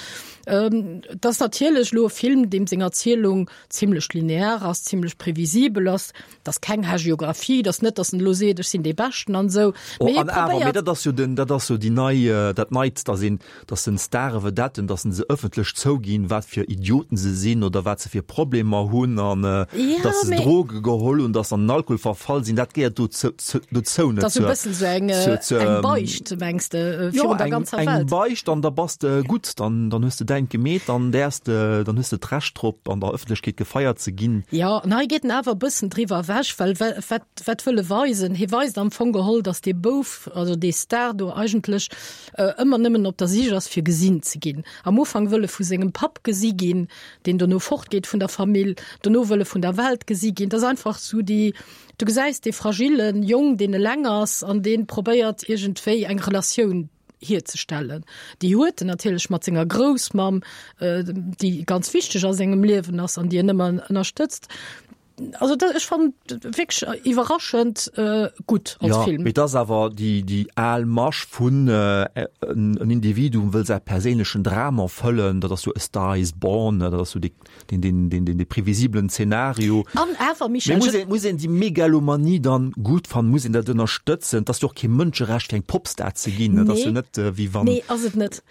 Et ass natierlech elo e Film, deem seng Erzielung zimlech linear ass, zimlech previsibel ass. Et ass keng Hagiographie, et ass net, datt en elo seet, ech sinn dee Beschten an esou. Oh, an awer, mee dat ass jo den, dat ass jo déi nei, dat Neit, datt een, datt den Stare Vedetten, datt se ëffentlech zouginn, wat fir Idioten se sinn oder wat se fir Problemer hunn an datt se Droge geholl hunn, datt se an den Alkohol verfall sinn, dat gehéiert dozou net. Dat ass e bëssen esou eng, eng Beicht, mengs de, virun der ganzer Welt? Jo, eng Beicht an da bass de gutt, dann, dann hues de däint gemeet, dann däerfs de, dann hues de d'Recht drop, an der Ëffentlechkeet gefeiert ze ginn. Jo, an hei geet en awer e bëssen driwwer ewech, well wat, wat wëll e weisen? Hie weist am Fong geholl, datt dee Bouf, also dee Star do eigentlech ëmmer nëmmen op der Sich ass fir gesinn ze ginn. Am Ufank wëll e vu sengem Papp gesi ginn, deen dono fortgeet vun der Famill, dono wëll e vun der Welt gesi ginn. Dat ass einfach sou déi, du gesäis dee fragillen Jong, deen eleng ass an dee probéiert iergendwéi eng Relatioun hierzestellen. Déi huet en natierlech mat senger Groussmamm, déi ganz wichteg a sengem Liewen ass an déi en ëmmer ënnerstëtzt. Also dat, ech fand wierklech iwwerraschend äh, gutt als ja, Film. Mee dat ass awer déi, déi al Masch vun äh, en, en Individuum wëll säi perséinlechen Dram erfëllen, dat ass jo A Star is Born, dat ass jo dee, deen, deen, deen, deen, dee previsiblen Zenario. An awer, Michel, Mee muss een, muss een déi Megalomanie dann gutt fannen, muss een dat ënnerstëtzen? Et ass jo och kee Mënscherecht fir eng Popstar ze ginn, dat ass jo net äh, wéi wann. Nee, ass et net.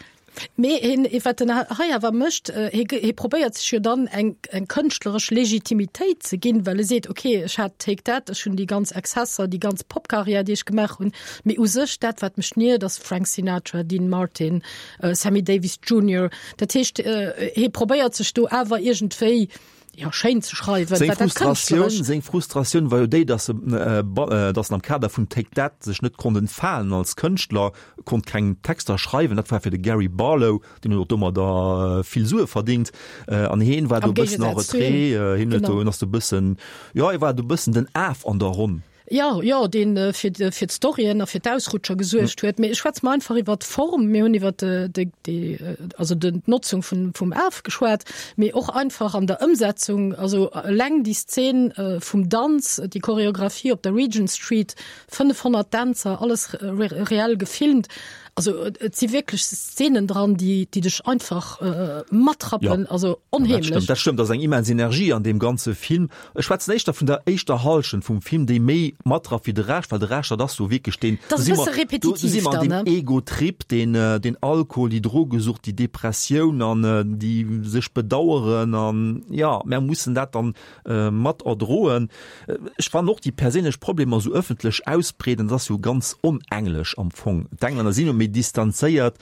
Mee hien, wat en hei awer mécht, hie, hie probéiert sech jo dann eng, eng kënschtleresch Legitimitéit ze ginn, well e seet, okay, ech hat Take That, ech hunn déi ganz Exzesser, déi ganz Popkarriär, déi ech gemaach hunn, mee u sech dat, wat mech niert, ass Frank Sinatra, Dean Martin, Sammy Davis Junior. Dat heescht, hie probéiert sech do awer iergendwéi, jo, schéin ze schreiwen, Seng Frustratioun, seng Frustratioun war jo déi, dass e, dass en am Kader vun Take That sech net konnt entfalen als Kënschtler, konnt keng Texter schreiwen. Dat war fir de Gary Barlow, deen huet och domadder vill Sue verdingt, an heen war do e bëssen en retrait, hien huet do, hien ass do e bëssen, jo, hie war do e bëssen den Af an der Ronn. Jo, jo, deen fir fir d'Storyen a fir d'Ausrutscher gesuergt huet. Mee ech schwätze mer einfach iwwer d'Form. Mir hunn iwwer de, de, also den d'Notzung vun, vum Af geschwat, mee och einfach an der Ëmsetzung. Also eleng déi Szen vum Danz, déi Choreographie op der Regent Street, 500 Dänzer, alles reell gefilmt. Also et si wierklech Szenen dran, déi, déi dech einfach matrappen, also onheemlech. Dat stëmmt, dat stëmmt. Et ass eng immens Energie an deem ganze Film. Ech schwätzen éischter vun der éischter Hallschent vum Film, déi méi matrafft wéi de Rescht, well de Rescht, dat ass jo wierklech deen, do si mer, do si mer an deem Ego-Trip, deen, deen Alkohol, déi Drogesucht, déi Depressioun an déi sech bedaueren an, jo, mär mussen dat dann mat erdroen. Ech fannen och déi perséinlech Problemer esou ëffentlech ausbreeden, dat ass jo ganz onenglesch am Fong. D'Englänner sinn jo méi distanzéiert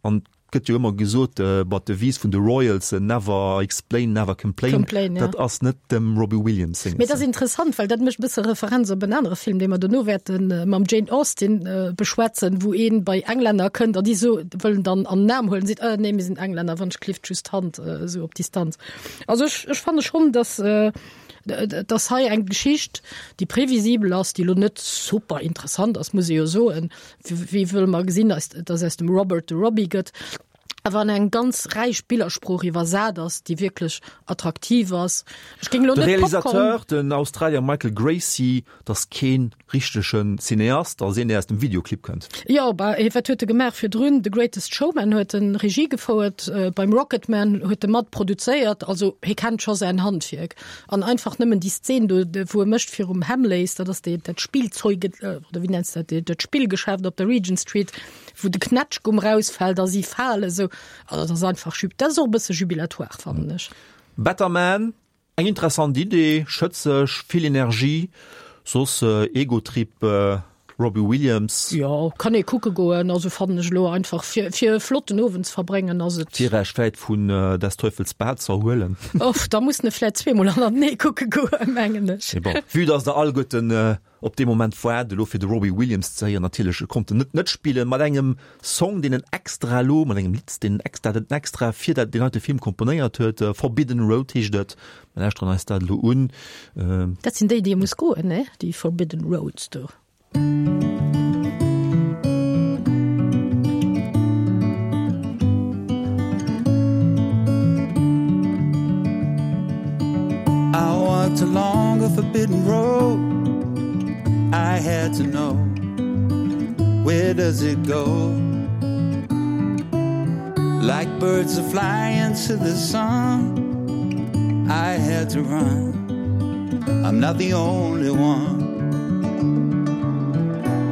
an Et gëtt jo ëmmer gesot, mat Devise vun de Royals, Never explain, never complain. Complain, ja. Dat ass net dem Robbie Williams seng. Mee dat ass interessant, well dat mécht e bësse Referenz op en anere Film, dee mer dono wäerte mam Jane Austen beschwätzen, wou ee bei Englänner kënnt an déi so wëllen dann an den Aarm huelen, seet, Äh, nee, mir sinn Englänner, wann ech klifft just d'Hand esou op Distanz. Also ech, ech fanne schonn, dass, dass hei eng Geschicht, déi previsibel ass, déi elo net super interessant ass, muss ee jo soen, Wéi wëll mer gesinn, dass aus dem Robert de Robbie gëtt, awer an eng ganz räich Billersprooch iwwersat ass, déi wierklech attraktiv ass. Ech géing elo net. De Realisateur, den Australier Michael Gracey, dat ass kee richtege Cineast, dat ass een, dee aus dem Videoclip kënnt. Jo, bah, wat huet e gemaach virdrun? The Greatest Showman huet en Regie gefouert, beim Rocketman huet e mat produzéiert, also hie kennt scho säin Handwierk. An einfach nëmmen déi Szen do, wou e mécht virum Hamleys, dat ass dee, dat Spillzeug, oder wéi nenns de dat, dat Spillgeschäft op der Regent Street, wou de Knätschgumm rausfält a si falen esou. Also dat ass einfach, dat ass och e bësse jubilatoire, fannen ech. Better Man, eng interessant Idee, schëtzeg, vill Energie, soss Egotrip. Robbie Williams. Jo, kann ee kucke goen, also fannen ech elo einfach fir fir e flotten Owend ze verbréngen ass et. Fir Iech vläit vun Des Teufels Bad ze erhuelen. Uff, da muss en e vläit zweemol hannertenee kucke goen, mengen ech. Mee bon, vue dass der alleguerten op dee Moment waart elo fir de Robbie Williams ze héieren, natierlech, e konnt en net net spillen, mat engem Song deen en extra elo, mat engem Lidd deen en extra, dat en extra fir dat deen heite Film komponéiert huet, Forbidden Road heescht et. Mir lauschteren eis dat elo un. Dat sinn déi, déi ee muss goen, ne? Déi Forbidden Roads do. I walked along a forbidden road I had to know Where does it go? Like birds that fly into the sun I had to run I'm not the only one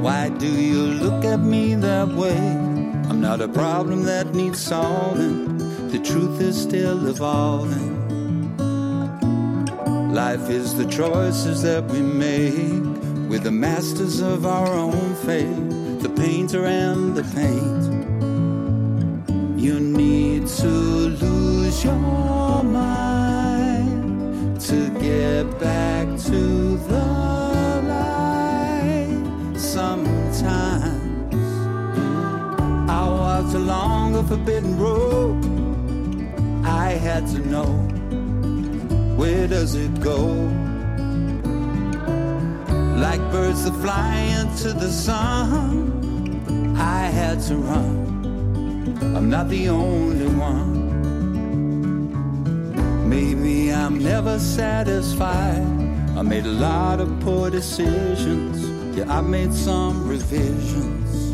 Why do you look at me that way? I'm not a problem that needs solving The truth is still evolving Life is the choices that we make We're the masters of our own fate The painter and the paint You need to lose your mind To get back to the light Sometimes I walked along a forbidden road I had to know Where does it go? Like birds that fly into the sun I had to run I'm not the only one Maybe I'm never satisfied I made a lot of poor decisions Yeah, I made some revisions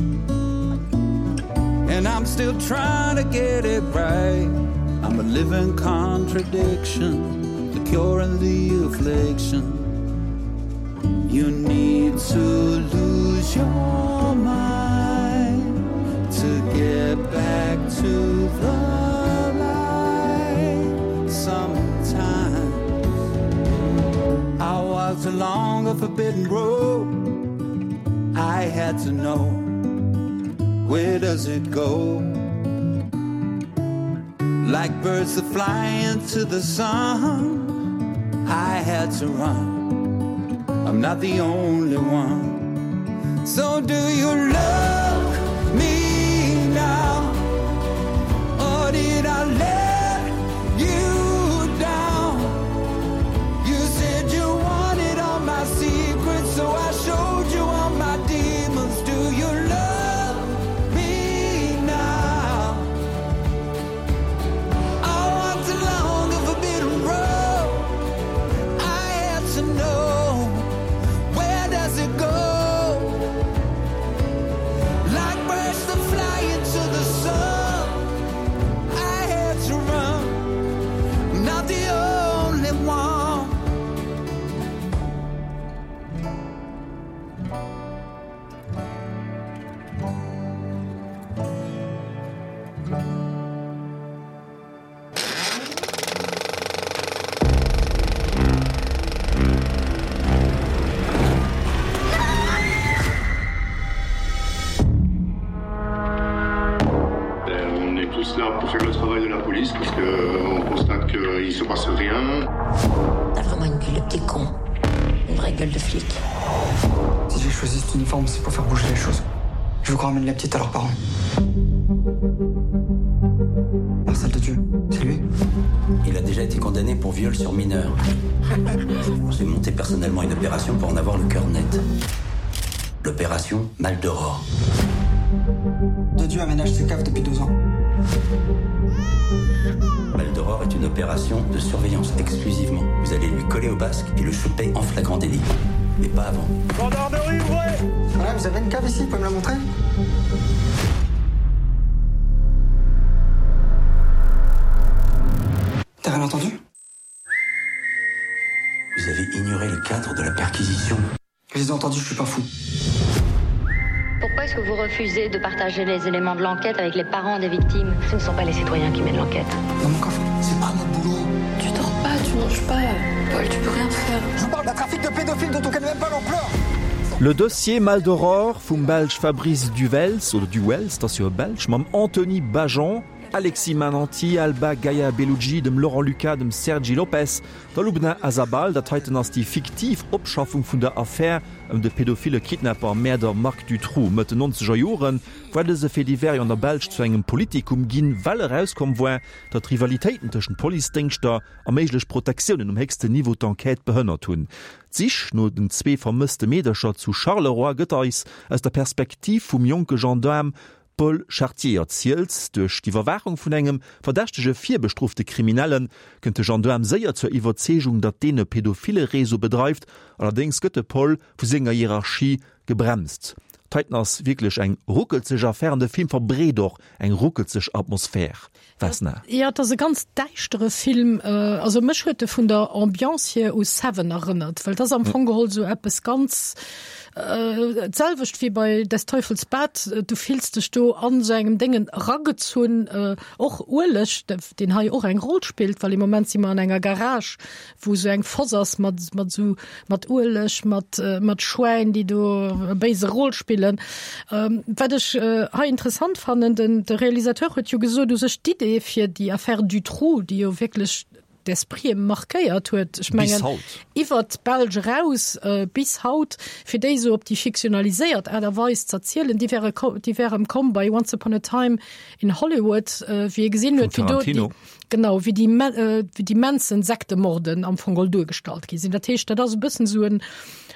And I'm still trying to get it right I'm a living contradiction The cure and the affliction You need to lose your mind To get back to the light Sometimes I walked along a forbidden road I had to know Where does it go? Like birds that fly into the sun I had to run I'm not the only one So do you love me now? Or did I let you down? You said you wanted all my secrets So I showed you all my demons Do you love me now? I walked along a forbidden road I had to know Where does it go? Like birds that fly into the sun I had to run I'm not the only one On est tous là pour faire le travail de la police parce qu'on constate qu'il se passe rien. T'as vraiment une gueule de petit con. Une vraie gueule de flic. Si j'ai choisi cet uniforme, c'est pour faire bouger les choses. Je veux qu'on ramène la petite à leurs parents. Marcel de Dieu, c'est lui. Il a déjà été condamné pour viol sur mineur. J'ai monté personnellement une opération pour en avoir le cœur net. L'opération Maldoror. De Dieu aménage ses caves depuis deux ans. Maldoror est une opération de surveillance exclusivement. Vous allez lui coller au basque et le choper en flagrant délit. Mais pas avant. Gendarmerie, ouais ouais, vous avez une cave ici, vous pouvez me la montrer T'as rien entendu Vous avez ignoré le cadre de la perquisition. Je les ai entendus, je suis pas fou. Pourquoi est-ce que vous refusez de partager les éléments de l'enquête avec les parents des victimes Ce ne sont pas les citoyens qui mènent l'enquête. Dans mon coffre, c'est pas notre boulot. Tu dors pas, tu manges pas. Paul, tu peux rien faire. Je vous parle d'un trafic de pédophiles dont on connaît même pas l'ampleur. Le dossier Maldoror vum Belsch Fabrice Duvels, oder Duwels, et ass jo e Belsch, mam Anthony Bajon, Alexis Mananti, Alba Gaia Bellugi, dem Laurent Lucas, dem Sergi Lopes, der Lubna Azabal. Dat heiten ass déi fiktiv Opschaffung vun der Affär ëm de pedophile Kidnapper a Mäerder Marc Dutroux. Mëtt den nonzeger Jore war dëse Fait divers jo an der Belsch zu engem Politikum ginn, well erauskomm war, datt Rivalitéiten tëschent Policedéngschter a méiglech Protektiounen um héchsten Niveau d'Enquête behënnert hunn. D'Sich no den zwee vermësste Meedercher zu Charleroi gëtt eis aus der Perspektiv vum jonke Gendaarm Paul Chartier erzielt. Duerch d'Iwwerwaachung vun engem verdächtege virbestrofte Kriminelle kënnt de Gendaarm séier zur Iwwerzeegung, datt deen e pedophile Réseau bedreift. Allerdéngs gëtt de Paul vu senger Hierarchie gebremst. D'heiten ass wierklech eng ruckelzeg Affär an de Film verbreet och eng ruckelzeg Atmosphär. Vesna. Jo, et ass e ganz däischtere Film. Also mech huet e vun der Ambiance hier u Seven erënnert, well et ass am Fong geholl esou eppes ganz d'selwecht wéi bei Des Teufels Bad. Du fills dech do an esou engem Déngen eragezunn, och Ueleg, deen hei och eng Roll spillt, well am Moment si mer an enger Garage, wou esou eng Foss ass mat mat esou mat Ueleg, mat mat Schwäin, déi do e béise Rôle spillen. Wat ech hei interessant fannen, den de Realisateur huet jo gesot, u sech d'Idee fir déi Affaire Dutroux, déi jo wierklech d'Esprite markéiert huet, ech mengen iwwert d'Belsch eraus bis haut, fir déi esou op déi fiktionaliséiert Aart a Weis z'erzielen, déi wäre déi wär em komm bei Once Upon a Time in Hollywood, wéi ee gesinn huet, wéi do déi Genau, wéi déi, wéi déi Manson-Sektemorden am Fong geholl duergestallt gi sinn. Dat heescht, dat ass e bëssen esou en,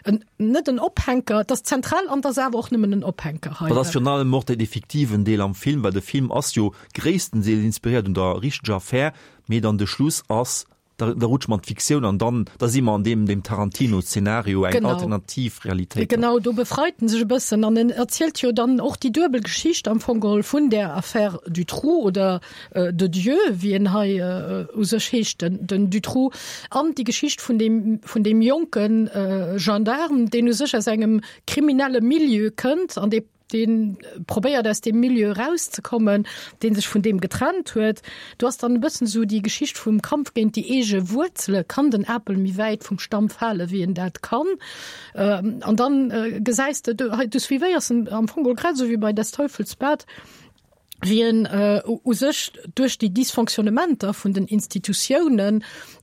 en, net en Ophänker, et ass zentral an et ass awer och nëmmen en Ophänker hei. Dat ass virun allem och den fiktiven Deel am Film, well de Film ass jo gréisstendeels inspiréiert un der richteger Affär, mee dann de Schluss ass, da, da rutsche mer an d'Fiktioun an dann, da si mer an deem, deem Tarantino-Szenario, eng Genau. alternativ Realitéit. Genau, do befreit en sech e bëssen an en erzielt jo dann och déi duebel Geschicht am Fong geholl vun där Affaire Dutroux oder de Dieu, wéi en hei u sech heescht, den, den Dutroux, an déi Geschicht vun deem, vun deem jonke Gendarme, deen u sech aus engem kriminelle Milieu kënnt an dee dee probéiert aus deem Milieu erauszekommen, dee sech vun deem getrennt huet. Do ass dann e bëssen esou déi Geschicht vum Kampf géint déi eege Wuerzele, kann den Apel méi wäit vum Stamm fale wéi en dat kann? An dann gesäis de, du suivéiers en am Fong geholl grad esou wéi bei Des Teufels Bad, wéi en u sech duerch déi Dysfonctionnementer vun den Institutiounen,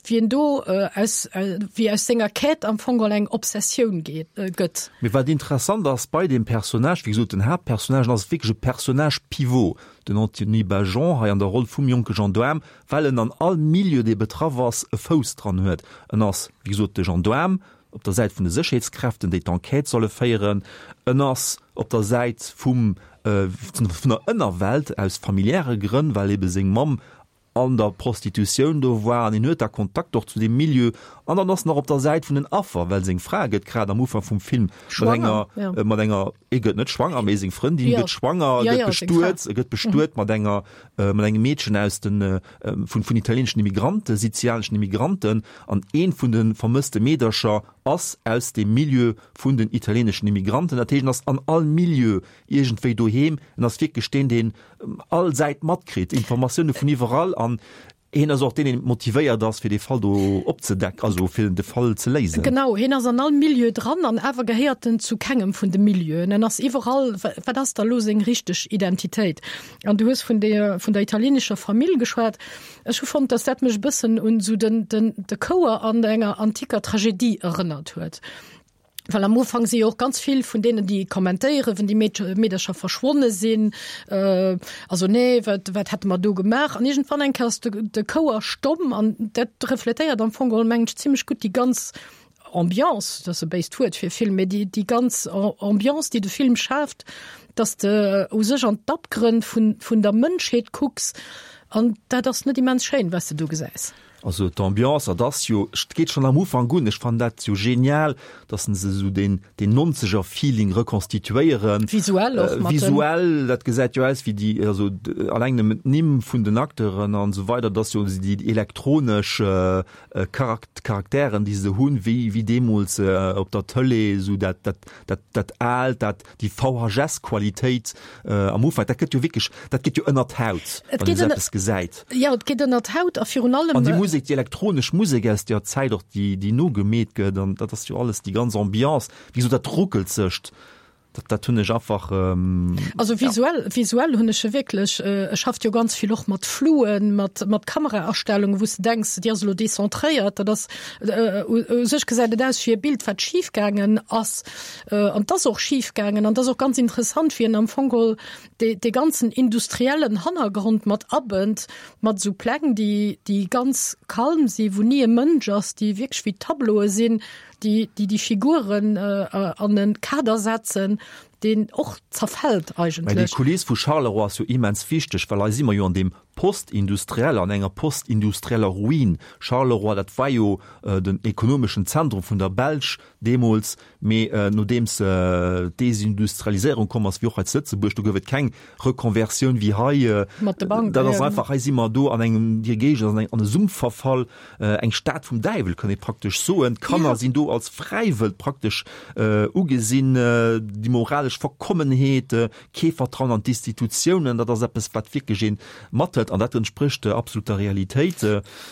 wéi en do aus, wéi aus senger Quête am Fong geholl eng Obsessioun geet, gëtt. Mee wat interessant ass bei deem Personnage, wéi gesot, den Haaptpersonnage, en ass wierklech e Personnage pivot, den Anthony Bajon hei an der Roll vum jonke Gendaarm, well en an all Milieu, dee betraff ass, e Fouss dran huet. En ass, wéi gesot, de Gendaarm, op der Säit vun de Sécherheetskräften, déi d'Enquête solle féieren, en ass op der Säit vum vun der Ënnerwelt aus familiäre Grënn, well ebe seng Mamm an der Prostitutioun do war an en huet da Kontakt och zu deem Milieu an dann ass en och op der Säit vun den Affer, well seng Fra gëtt grad am Ufank vum Film mat enger mat enger e gëtt net schwanger, mee seng Frëndin gëtt schwanger, gëtt bestuet, e gëtt bestuet mat enger mat engem Meedchen aus den vun vun italieeneschen Immigranten, sizianeschen Immigranten, an eent vun de vermësste Meedercher ass aus deem Milieu vun den italieeneschen Immigranten. Dat heescht, en ass an all Milieu iergendwéi doheem. En ass wierklech deen, deen all Säit matkritt, Informatioune vun iwwerall an hien ass och deen, deen motivéiert ass, fir dee Fall do opzedecken, also fir de Fall ze léisen. Genau, hien ass an all Milieu dran an awer gehéiert en zu kengem vun de Milieuen. En ass iwwerall. Wat ass da lo seng richteg Identitéit? An du hues vun der, vun der italienescher Famill geschwat. Ech hu fonnt, dass dat mech e bëssen un esou den, den, de Chouer an enger antiker Tragedie erënnert huet. Well am Ufank si jo och ganz vill vun deenen, déi kommentéieren, wenn déi Meedche, Meedercher verschwonne sinn, äh, also nee, wat, wat hätte mer do gemaach? An iergendwann eng Kéier ass de, de Chouer stomm an dat refletéiert am Fong geholl, mengen ech, zimmlech gutt déi ganz Ambiance, dat ass e béist Wuert fir Film, mee déi, déi ganz Ambiance, déi de Film schaaft, dass de u sech an d'Abgrënn vun, vun der Mënschheet kucks an dat ass net immens schéin, wat s de do gesäis. Also d'Ambiance, dat ass jo, et geet schonn am Ufank un, ech fannen dat jo genial, dass se esou deen, deen Nonzeger-Feeling rekonstituéieren. Visuell och mat den. Visuell, dat gesäit jo aus wéi déi, also alleng nëmmen d'Nimm vun den Acteuren an esou weider, dat ass jo déi elektronesch Charakteren, déi se hunn, wéi, wéi deemools op der Tëlee, esou dat, dat, dat, dat Aalt, dat, déi VHS-Qualitéit am Ufank, dat gëtt jo wierklech, dat geet jo ënner d'Haut, wann een esou eppes gesäit. Jo, et geet ënner d'Haut a virun allem. An déi Musek, déi elektronesch Musek aus deeër Zäit och, déi, déi nogemeet gëtt, an dat ass jo alles, déi ganz Ambiance, wéi gesot, dat Ruckelzegt. Dat, dat hunn ech einfach. Ähm, also visuell, ja. visuell hunn ech wierklech äh, e schafft jo ganz vill och mat Fluen, mat, mat Kameraerstellungen, wou s de denks, déi ass elo decentréiert, dat ass äh, u, u sech gesäit et aus wéi e Bild, wat schifgaangen ass. Äh, an 't ass och schifgaangen an 't ass och ganz interessant, wéi en am Fong geholl dee, dee ganzen industriellen Hannergrond mat abënnt, mat esou Pläng, déi, déi ganz kalm si, wou ni e Mënsch ass, déi wierklech wéi Tableaue sinn, déi déi déi Figuren an e Kader setzen, deen och zerfält Mä déi eigentlech. Kuliss vu Charleroi ass jo immens wichteg, well hei si mer jo an deem Postindustriell, an enger postindustrieller Ruin. Charleroi, dat war jo den ekonomeschen Zentrum vun der Belsch deemools, mee nodeems d'Desindustrialiséierung komm ass, wéi och hei zu Lëtzebuerg, do gouf et keng Reconversioun wéi hei. Mat de Banken, Dat ass einfach, hei si mer do an engem, déi Géigend ass an eng, an e Sumpf verfall, eng Stad vum Däiwel, kann ee praktesch soen. D'Kanner sinn do als Fräiwëld praktesch ugesinn, déi moralesch Verkommenheet, Kee Vertrauen an d'Institutiounen, dat ass eppes, wat wierklech ee mathëlt an dat entsprécht absolut der Realitéit.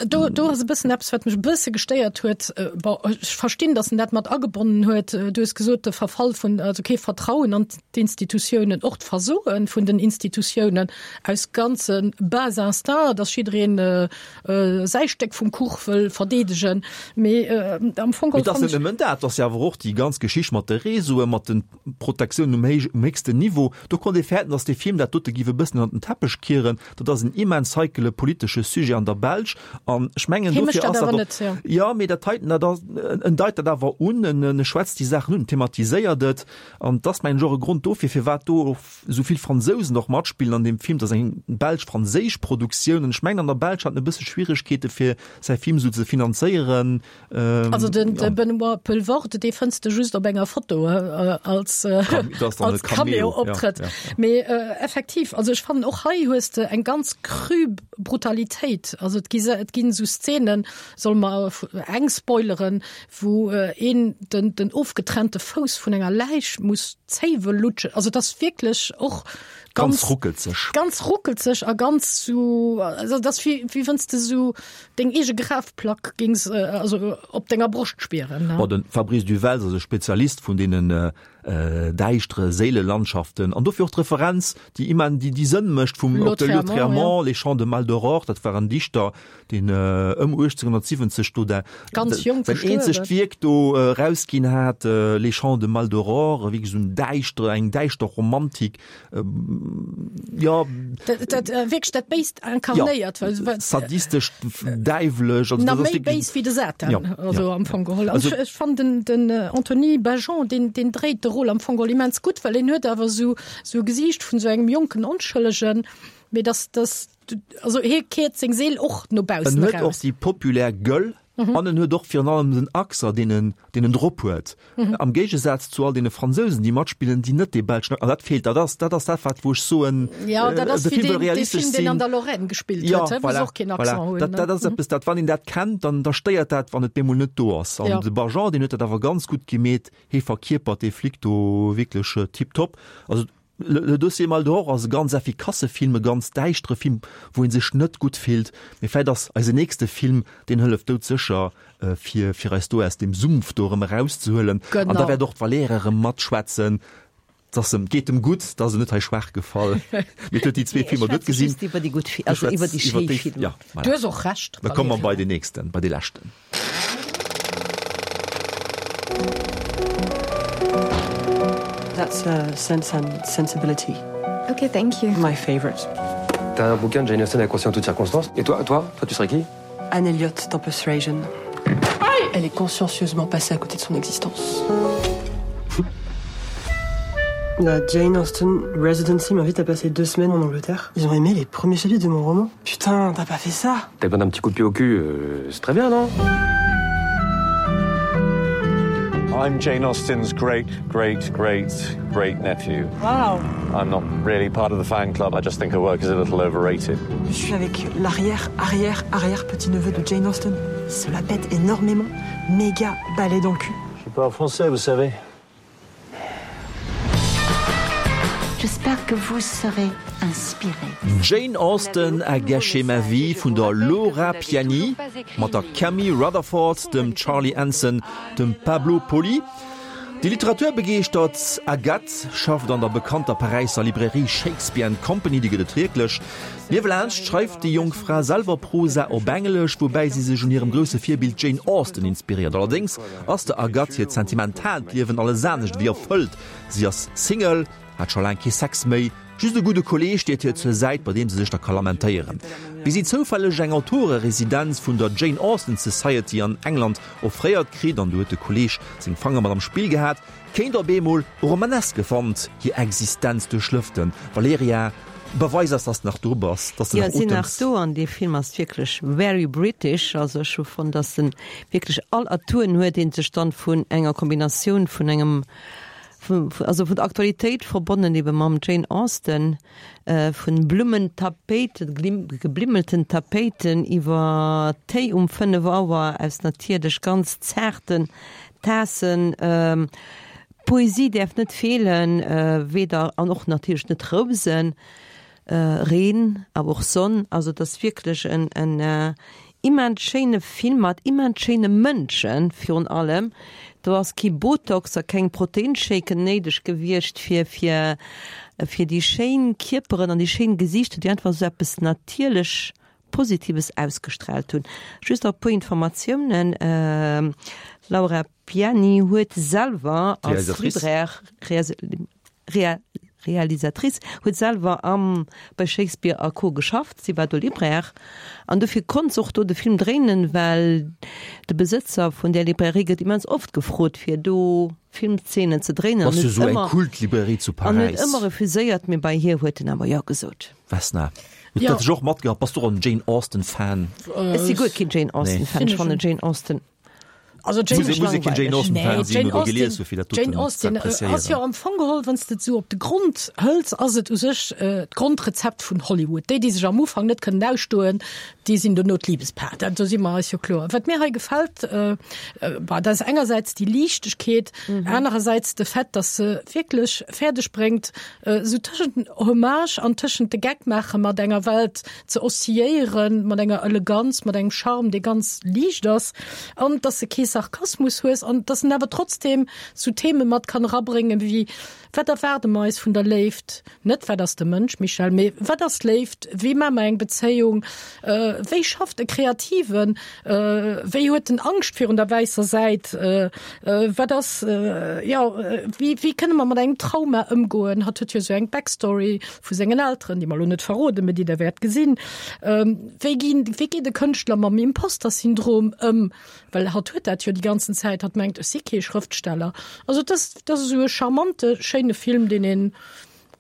Do, do ass e bëssen eppes, wat mech e bësse gestéiert huet. Bon, ech verstinn, datt en dat mat agebonnen huet. Du hues gesot, de Verfall vun, also kee Vertrauen an d'Institutiounen, och d'Versoe vun den Institutiounen aus ganze bas instincts, datt jiddereen säi Stéck vum Kuch wëll verdeedegen. Mee am Fong geholl. Mee et ass net nëmmen dat, et ass jo awer och déi ganz Geschicht mat de Réseauen, mat den Protektioun um héich, um héchsten Niveau. Do konnt ee fäerten, datt dee Film dat dote giff e bëssen ënnert den Teppech kieren. Dat ass en immens heikele politesche Sujet an der Belsch an ech mengen, Hie mécht dofir dat ass dat awer och, net, jo. jo, mee dat heiten, dat ass, en deit dat awer un, en, en schwätzt déi Saachen un, en thematiséiert et an et ass, mengen ech, och e Grond dofir, firwat do och esou vill Fransousen och matspillen an deem Film. Dat ass eng belsch-franséisch Produktioun an ech mengen, an der Belsch hat en e bësse Schwieregkeete fir säi Film esou ze finanzéieren. Ähm, also den, ja. Benoit Poelvoorde dee fënns de just op enger Foto äh, als, äh, als Cameo-Optrëtt. Ja, ja, ja. Mee äh, effektiv, also ech fannen och hei hues de eng ganz cru Brutalitéit. Also et gi et ginn sou Szenen, soll mer eng spoileren, wou äh, een den, den ofgetrennte Fouss vun enger Läich muss zéiwe lutschen. Also dat ass wierklech och ganz, ganz ruckelzeg. Ganz ruckelzeg a ganz so, also dat wéi, wéi wanns de sou Deng eege Grafplack gings also op denger Broscht spieren, ne? Bon, de Fabrice du Welz ass e Spezialist vun deenen däischtere Séilelandschaften an dofir och d'Referenz, déi immen, déi déi Sënn mécht vum op de Lautréamont, Les Chants de Maldoror, dat war en Dichter, deen ëm 1870 do dat Ganz jonk säin eenzegt Wierk do erausginn hat, Les Chants de Maldoror, wierklech esou en däischtere, eng däischter Romantik. ja dat, dat, äh, wierklech dat Béist inkarnéiert ja, sadistesch däiwlech also, méi béis wéi de Satan ja, also ja, am Fong geholl also, ech, ech fand den, den äh, Anthony Bajon den, den dréit de Rôle am Fong geholl immens gutt well en huet awer sou sou Gesiicht vun sou engem jonken Onschëllegen mee das das also hie keert seng Seel och no baussen En huet och déi populär Gueule An en huet och virun allem den Accent, deen en, deen en drop huet. Am Géigesaz zu all deene Fransousen, déi matspillen, déi net dee belschen Accent, an dat feelt, dat ass, dat ass dat, wat, wou ech soen, Ja, dat ass de wéi Film wëll deen, dee realistesch Film, deen sinn. an der Lorraine gespillt Ja, huet, he, wou se voilà, och keen voilà. Accent hunn, Dat, ne? dat ass eppes, dat, wann een dat kennt, dann, da stéiert dat, wann et bemol net do ass. An Ja. de Bargeon, deen huet dat awer ganz gutt gemeet, hee verkierpert dee Flic do wierklech tiptop. Also, Le Dossier Maldoror ass e ganz effikasse Film, e ganz däischtere Film, wou ee sech net gutt fillt. Mee vläit ass eisen nächste Film, deen hëlleft doudsécher, fir, fir eis do aus deem Sumpf do erëm erauszehuelen. An da wäert och d'Valerija erëm matschwätzen. Et ass em, geet em gutt, et ass em net hei schwaach gefall. Mee et huet déi zwee Filmer net gesinn. Ech schwätze just iwwer déi gutt, also iwwer déi schéi Filmer. Ja, voilà. Du hues och Recht, Da komme mer bei deen nächsten, bei dee leschten. That's a sense and sensibility. Okay, thank you. My favorite. T'as un bouquin de Jane Austen à conseiller en toutes circonstances. Et toi, toi, toi, tu serais qui Anne Elliot dans Persuasion. Elle est consciencieusement passée à côté de son existence. La Jane Austen Residency m'invite à passer deux semaines en Angleterre. Ils ont aimé les premiers chapitres de mon roman. Putain, t'as pas fait ça T'as besoin d'un petit coup de pied au cul, euh, c'est très bien, non I'm Jane Austen's great, great, great, great nephew. Wow. I'm not really part of the fan club. I just think her work is a little overrated. Je suis avec l'arrière, arrière, arrière petit neveu de Jane Austen. Il se la pète énormément. Méga balai dans le cul. Je suis pas français, vous savez. J'espère que vous serez inspiré. Jane Austen a gâché ma vie vun der Laura Piani mat der Camille Rutherford, dem Charlie Anson, dem Pablo Poli. Déi literaturbegeeschtert Agathe schafft an der bekannter Paräisser Librairie Shakespeare and Company, déi gëtt et wierklech. Niewelaanscht schreift déi jonk Fra selwer Prosa op Englesch, woubäi si sech un hirem grousse Virbild Jane Austen inspiréiert. Allerdéngs ass der Agathe hiert sentimentaalt Liewen alles anescht ewéi erfëllt. Si ass Single. Hat scho laang kee Sex méi, just e gudde Kolleeg steet hir zur Säit, bei deem se sech da ka lamentéieren. Wéi si zoufälleg eng Autoreresidenz vun der Jane Austen Society an England offréiert kritt, an do huet de Kolleeg seng Fanger mat am Spill gehat, kéint op eemol e romaneske Wand hir Existenz duerchlëften. Valerija, beweis eis, dass de nach do bass, dass de nach otems. Jo, ech sinn nach do an dee Film ass wierklech very British. Also ech hu fonnt, dass en wierklech all Atouen huet, dee sech dann vun enger Kombinatioun vun engem also vun der Aktualitéit verbonnen ebe mam Jane Austen, vun Blummentapéiten, geblimmelten Tapéiten iwwer Téi um 5 Auer aus natierlech ganz zaarten Taassen. Poesie däerf net feelen, weder an och natierlech net Rousen. Reen, awer och Sonn, also et ass wierklech en en immens schéine Film mat immens schéine Mënschen virun allem. Do ass kee Botox a keng Proteinshaken néideg gewiescht fir fir fir déi schéin Kierperen an déi schéin Gesiichter, déi einfach esou eppes natierlech Positives ausgestrahlt hunn. Just nach e puer Informatiounen, Laura Piani huet selwer als Libraire, Realisatrice, huet selwer am bei Shakespeare a Co. Geschafft, si war do Libraire an dofir konnt se och do de Film dréinen, well de Besëtzer vun där Librairie gëtt immens oft gefrot fir do Filmzeenen ze dréinen an huet ëmmer an huet ëmmer refuséiert, mee bei hir huet en awer jo gesot. Vesna, huet dat dech och matgehatt? Bass du och en Jane Austen Fan? Ech si guer keen Jane Austen Fan, ech fannen Jane Austen Also Jane, muss, muss keen Jane Austen Fan sinn oder gelies hu fir dat Jane Austen ass jo am Fong geholl, wann s de et esou op de Grond hëls, ass et u sech d'Grondrezept vun Hollywood. Déi, déi sech am Ufank net kënnen ausstoen, déi sinn dono d'Libespaar. Dat, do si mer eis jo kloer. Wat mir hei gefält, bah, dat ass engersäits déi Liichtegkeet, anerersäits de Fait, datt se wierklech fäerdeg bréngt, esou tëschent den Hommage an tëschent de Geck maache mat enger Welt, ze oszilléieren, mat enger Eleganz, mat engem Charme, dee ganz liicht ass, an dass de kee Sarkasmus hues an dass en awer trotzdem sou Theme mat kann erabréngen wéi, Wat erwaarde mer eis vun der Léift? Net wat ass de Mënsch, Michèle, mee wat ass Léift? Wéi maache mer eng Bezéiung? Wéi schafft e Kreativen? Wéi huet en Angscht virun der wäisser Säit? Wat ass, jo, wéi, wéi kënne mer mat engem Trauma ëmgoen? Hatt huet jo sou eng Backstory vu sengen Elteren, déi mer elo net verroden, mä déi Der wäert gesinn. Wéi ginn, wéi geet e Kënschtler mam Imposter-Syndrom ëm? Well hatt huet dat jo déi ganzen Zäit, hatt mengt, ech si kee Schrëftsteller. Also et ass, et ass esou e charmante, schéine Film, deen ee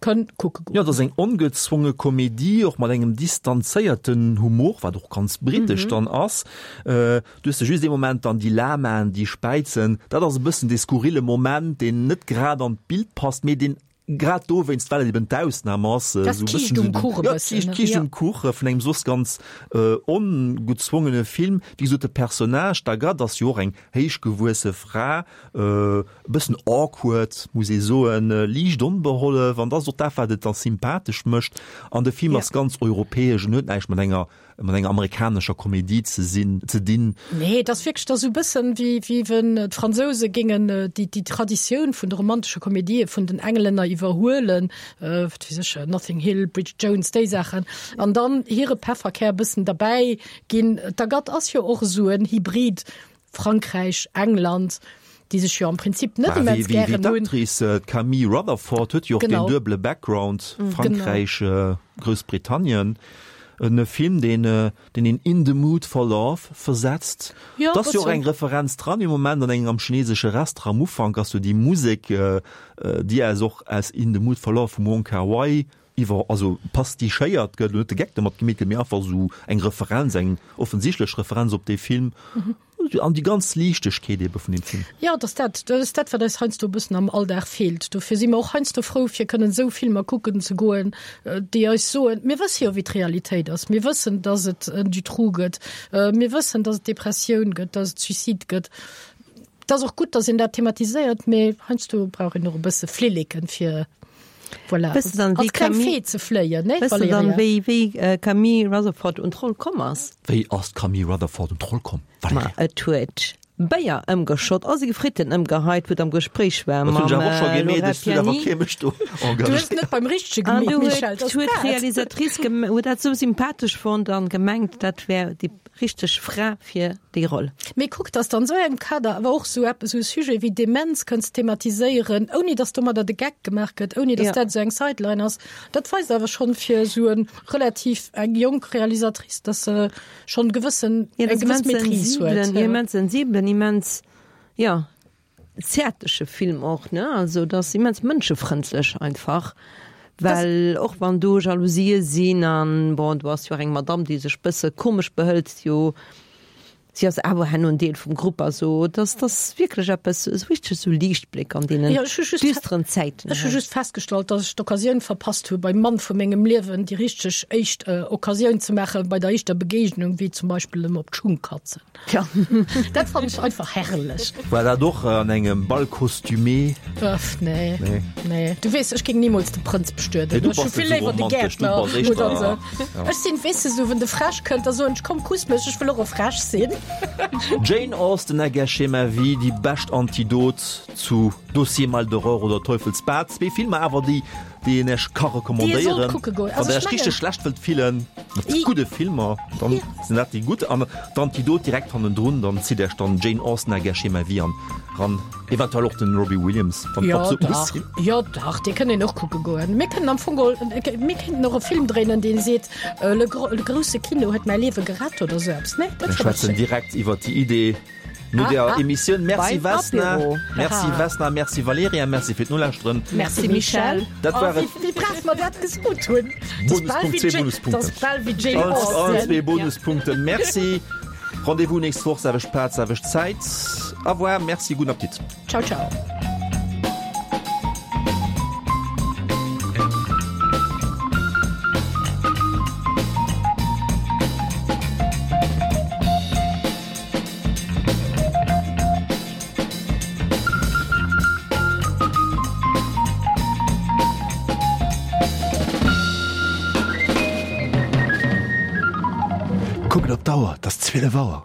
kënn kucke goen. Jo, et ass eng ongezwonge Komedie, och mat engem distanzéierten Humor, wat och ganz britesch dann ass. Du hues de just ee Moment dann déi Lamaen, déi späizen, dat ass e bëssen dee skurrille Moment, deen net grad an d'Bild passt, mee deen Grad dowéinst, well et eben d'Ausnam ass, Dat esou e bëssen Kiischt um esou den, Kuch e ja, bëssen, d'Kiischt, ne? d'Kiischt Ja. um Kuch vun engem soss ganz ongezwongene Film. Wéi gesot, de Personnage, d'Agathe, ass jo och eng héichgewuesse Fra, e bëssen awkward, muss ee soen, liicht onbehollef, an dat ass och dat, wat et da sympathesch mécht. An de Film Ja. ass ganz europäesch en huet näischt mat enger mat enger amerikanescher Komedie ze sinn, ze dinn. Nee, et ass wierklech da sou e bëssen, wéi, wéi wenn d'Fransouse géingen déi, déi Traditioun vun de romantesche Komedië vun den Englänner iwwerhuelen, wat weess ech, Notting Hill, Bridget Jones, déi Saachen, an dann hire Pefferkär e bëssen derbäi ginn. D'Agathe ass jo och esou en Hybrid Frankräich, England, déi sech jo am Prinzip net immens gären hunn. Wéi d'Actrice, d'Camille Rutherford, huet jo och deen duebele Background, Frankräich, Groussbritannien. E Film, deen een in the mood for love versetzt. Et ass jo och eng Referenz dran, ee Moment an engem am chinesesche Restaurant am Ufank ass jo déi Musek, déi aus och aus In the Mood for Love vum Wong Kar-wai iwwer, also pastichéiert gëtt, elo net de Geck domat gemeet gëtt, mee einfach esou eng Referenz, eng offensichtlech Referenz op dee Film an déi ganz Liichtegkeet ebe vun deem Film. Jo, et ass dat, dat ass dat, wat eis heiansdo e bëssen am Alldag feelt. Dofir si mer och heiansdo frou, fir kënnen esou Filmer kucken ze goen, déi eis soen, mir wësse jo, wéi d'Realitéit ass, mir wëssen, dass et en Dutroux gëtt, mir wëssen, dass et Depressioun gëtt, dass et Suicide gëtt. Et ass och gutt, dass een dat thematiséiert, mee heiansdo brauch een och e bësse Flilleken, fir voilà, Wëss de dann, wéi als kleng Camille, Fee ze fléien, ne, wëss de dann, Valerija? wéi, wéi Camille Rutherford un d'Roll komm ass? Wéi ass d'Camille Rutherford un d'Roll komm, Ma Valerija? et huet. Béier ëmgeschott a seng Fritten ëmgeheit, wou et am Gespréich war mam Laura Piani. An du huet d'Realisatrice huet dat sou sympathesch fonnt an gemengt, dat wär déi richteg Fra fir déi Roll. Mee kuck, dass de an esou engem Kader awer och esou eppes, esou e Sujet wéi Demenz kënns thematiséieren, ouni dass domadder de Geck gemaach gëtt, ouni dass dat esou eng Sideline ass, dat weist awer schonn fir esou e relativ eng jonk Realisatrice, dass se schon gewëssen ja, eng gewëss Maîtrise huet. Immens sensibelen, immens ja zärtleche Film och ne also das immens mënschefrëndlech einfach well och wann do Jalousie sinn an bon du ass jo eng Madame déi sech bësse komesch behëlt jo si ass awer herno en Deel vum Grupp also dass das wierklech eppes esou richteg esou Liichtbléck an deenen ja, düsteren Zäiten. Ech hu just festgestallt, dass ech d'Occasioun verpasst hu beim Mann vu mengem Liewen déi richteg éischt äh, Occasioun ze maachen bei der éischter Begegnung, wéi zum Beispill em op d'Schung katzen. Ja. Dat fand ech einfach herrlech. War dat och an engem Bal costumé? Öff, nee. Nee. Nee. Du weess, ech géing nimools de Prënz bestueden. Nee, du Ech hu bass vill net sou léiwer de romantesch, du Gäertner bass éischter, oder sou. ja. Ech sinn, weess de, sou, wenn de Fräsch kënnt, da soen ech, komm, kuss mech, ech wëll och e Fräsch sinn. Jane Austen a gâché ma vie, déi bescht Antidot zu Dossier Maldoror oder Teufelsbad. Zwee Filmer awer, déi déi een Iech ka recommandéieren. Wann der Iech richteg schlecht wëllt fillen, mat gudde Filmer, dann sinn dat déi gutt. An d'Antidot direkt hannendrun, dann zitt Iech dann Jane Austen a gâché ma vie an ran. Eventuell och den Robbie Williams, wann et absolut muss sinn. Jo dach, dee kënnt een och kucke goen. Mir kënnen am Fong geholl, mir kéinten och e Film dréinen, dee seet, Le grousse Kino huet mäi Liewe gerett oder esou eppes, ne? Mir schwätzen direkt iwwert déi Idee no der Emissioun. Merci Vesna, merci Vesna, merci Valerija, merci fir d'Nolauschteren. Merci Michèle. Dat war et. Wéi brav mer dat gesot hunn. Bonuspunkt, zwee Bonuspunkten. Dat ass bal wéi Jane Austen. Allen zwee Bonuspunkten. Merci. Rendez-vous nächst Woch, selwecht Plaz, selwecht Zäit. Au revoir, merci, gudden Appetit. Ciao, ciao. Kuckt op d'Auer, 't ass 12 Auer.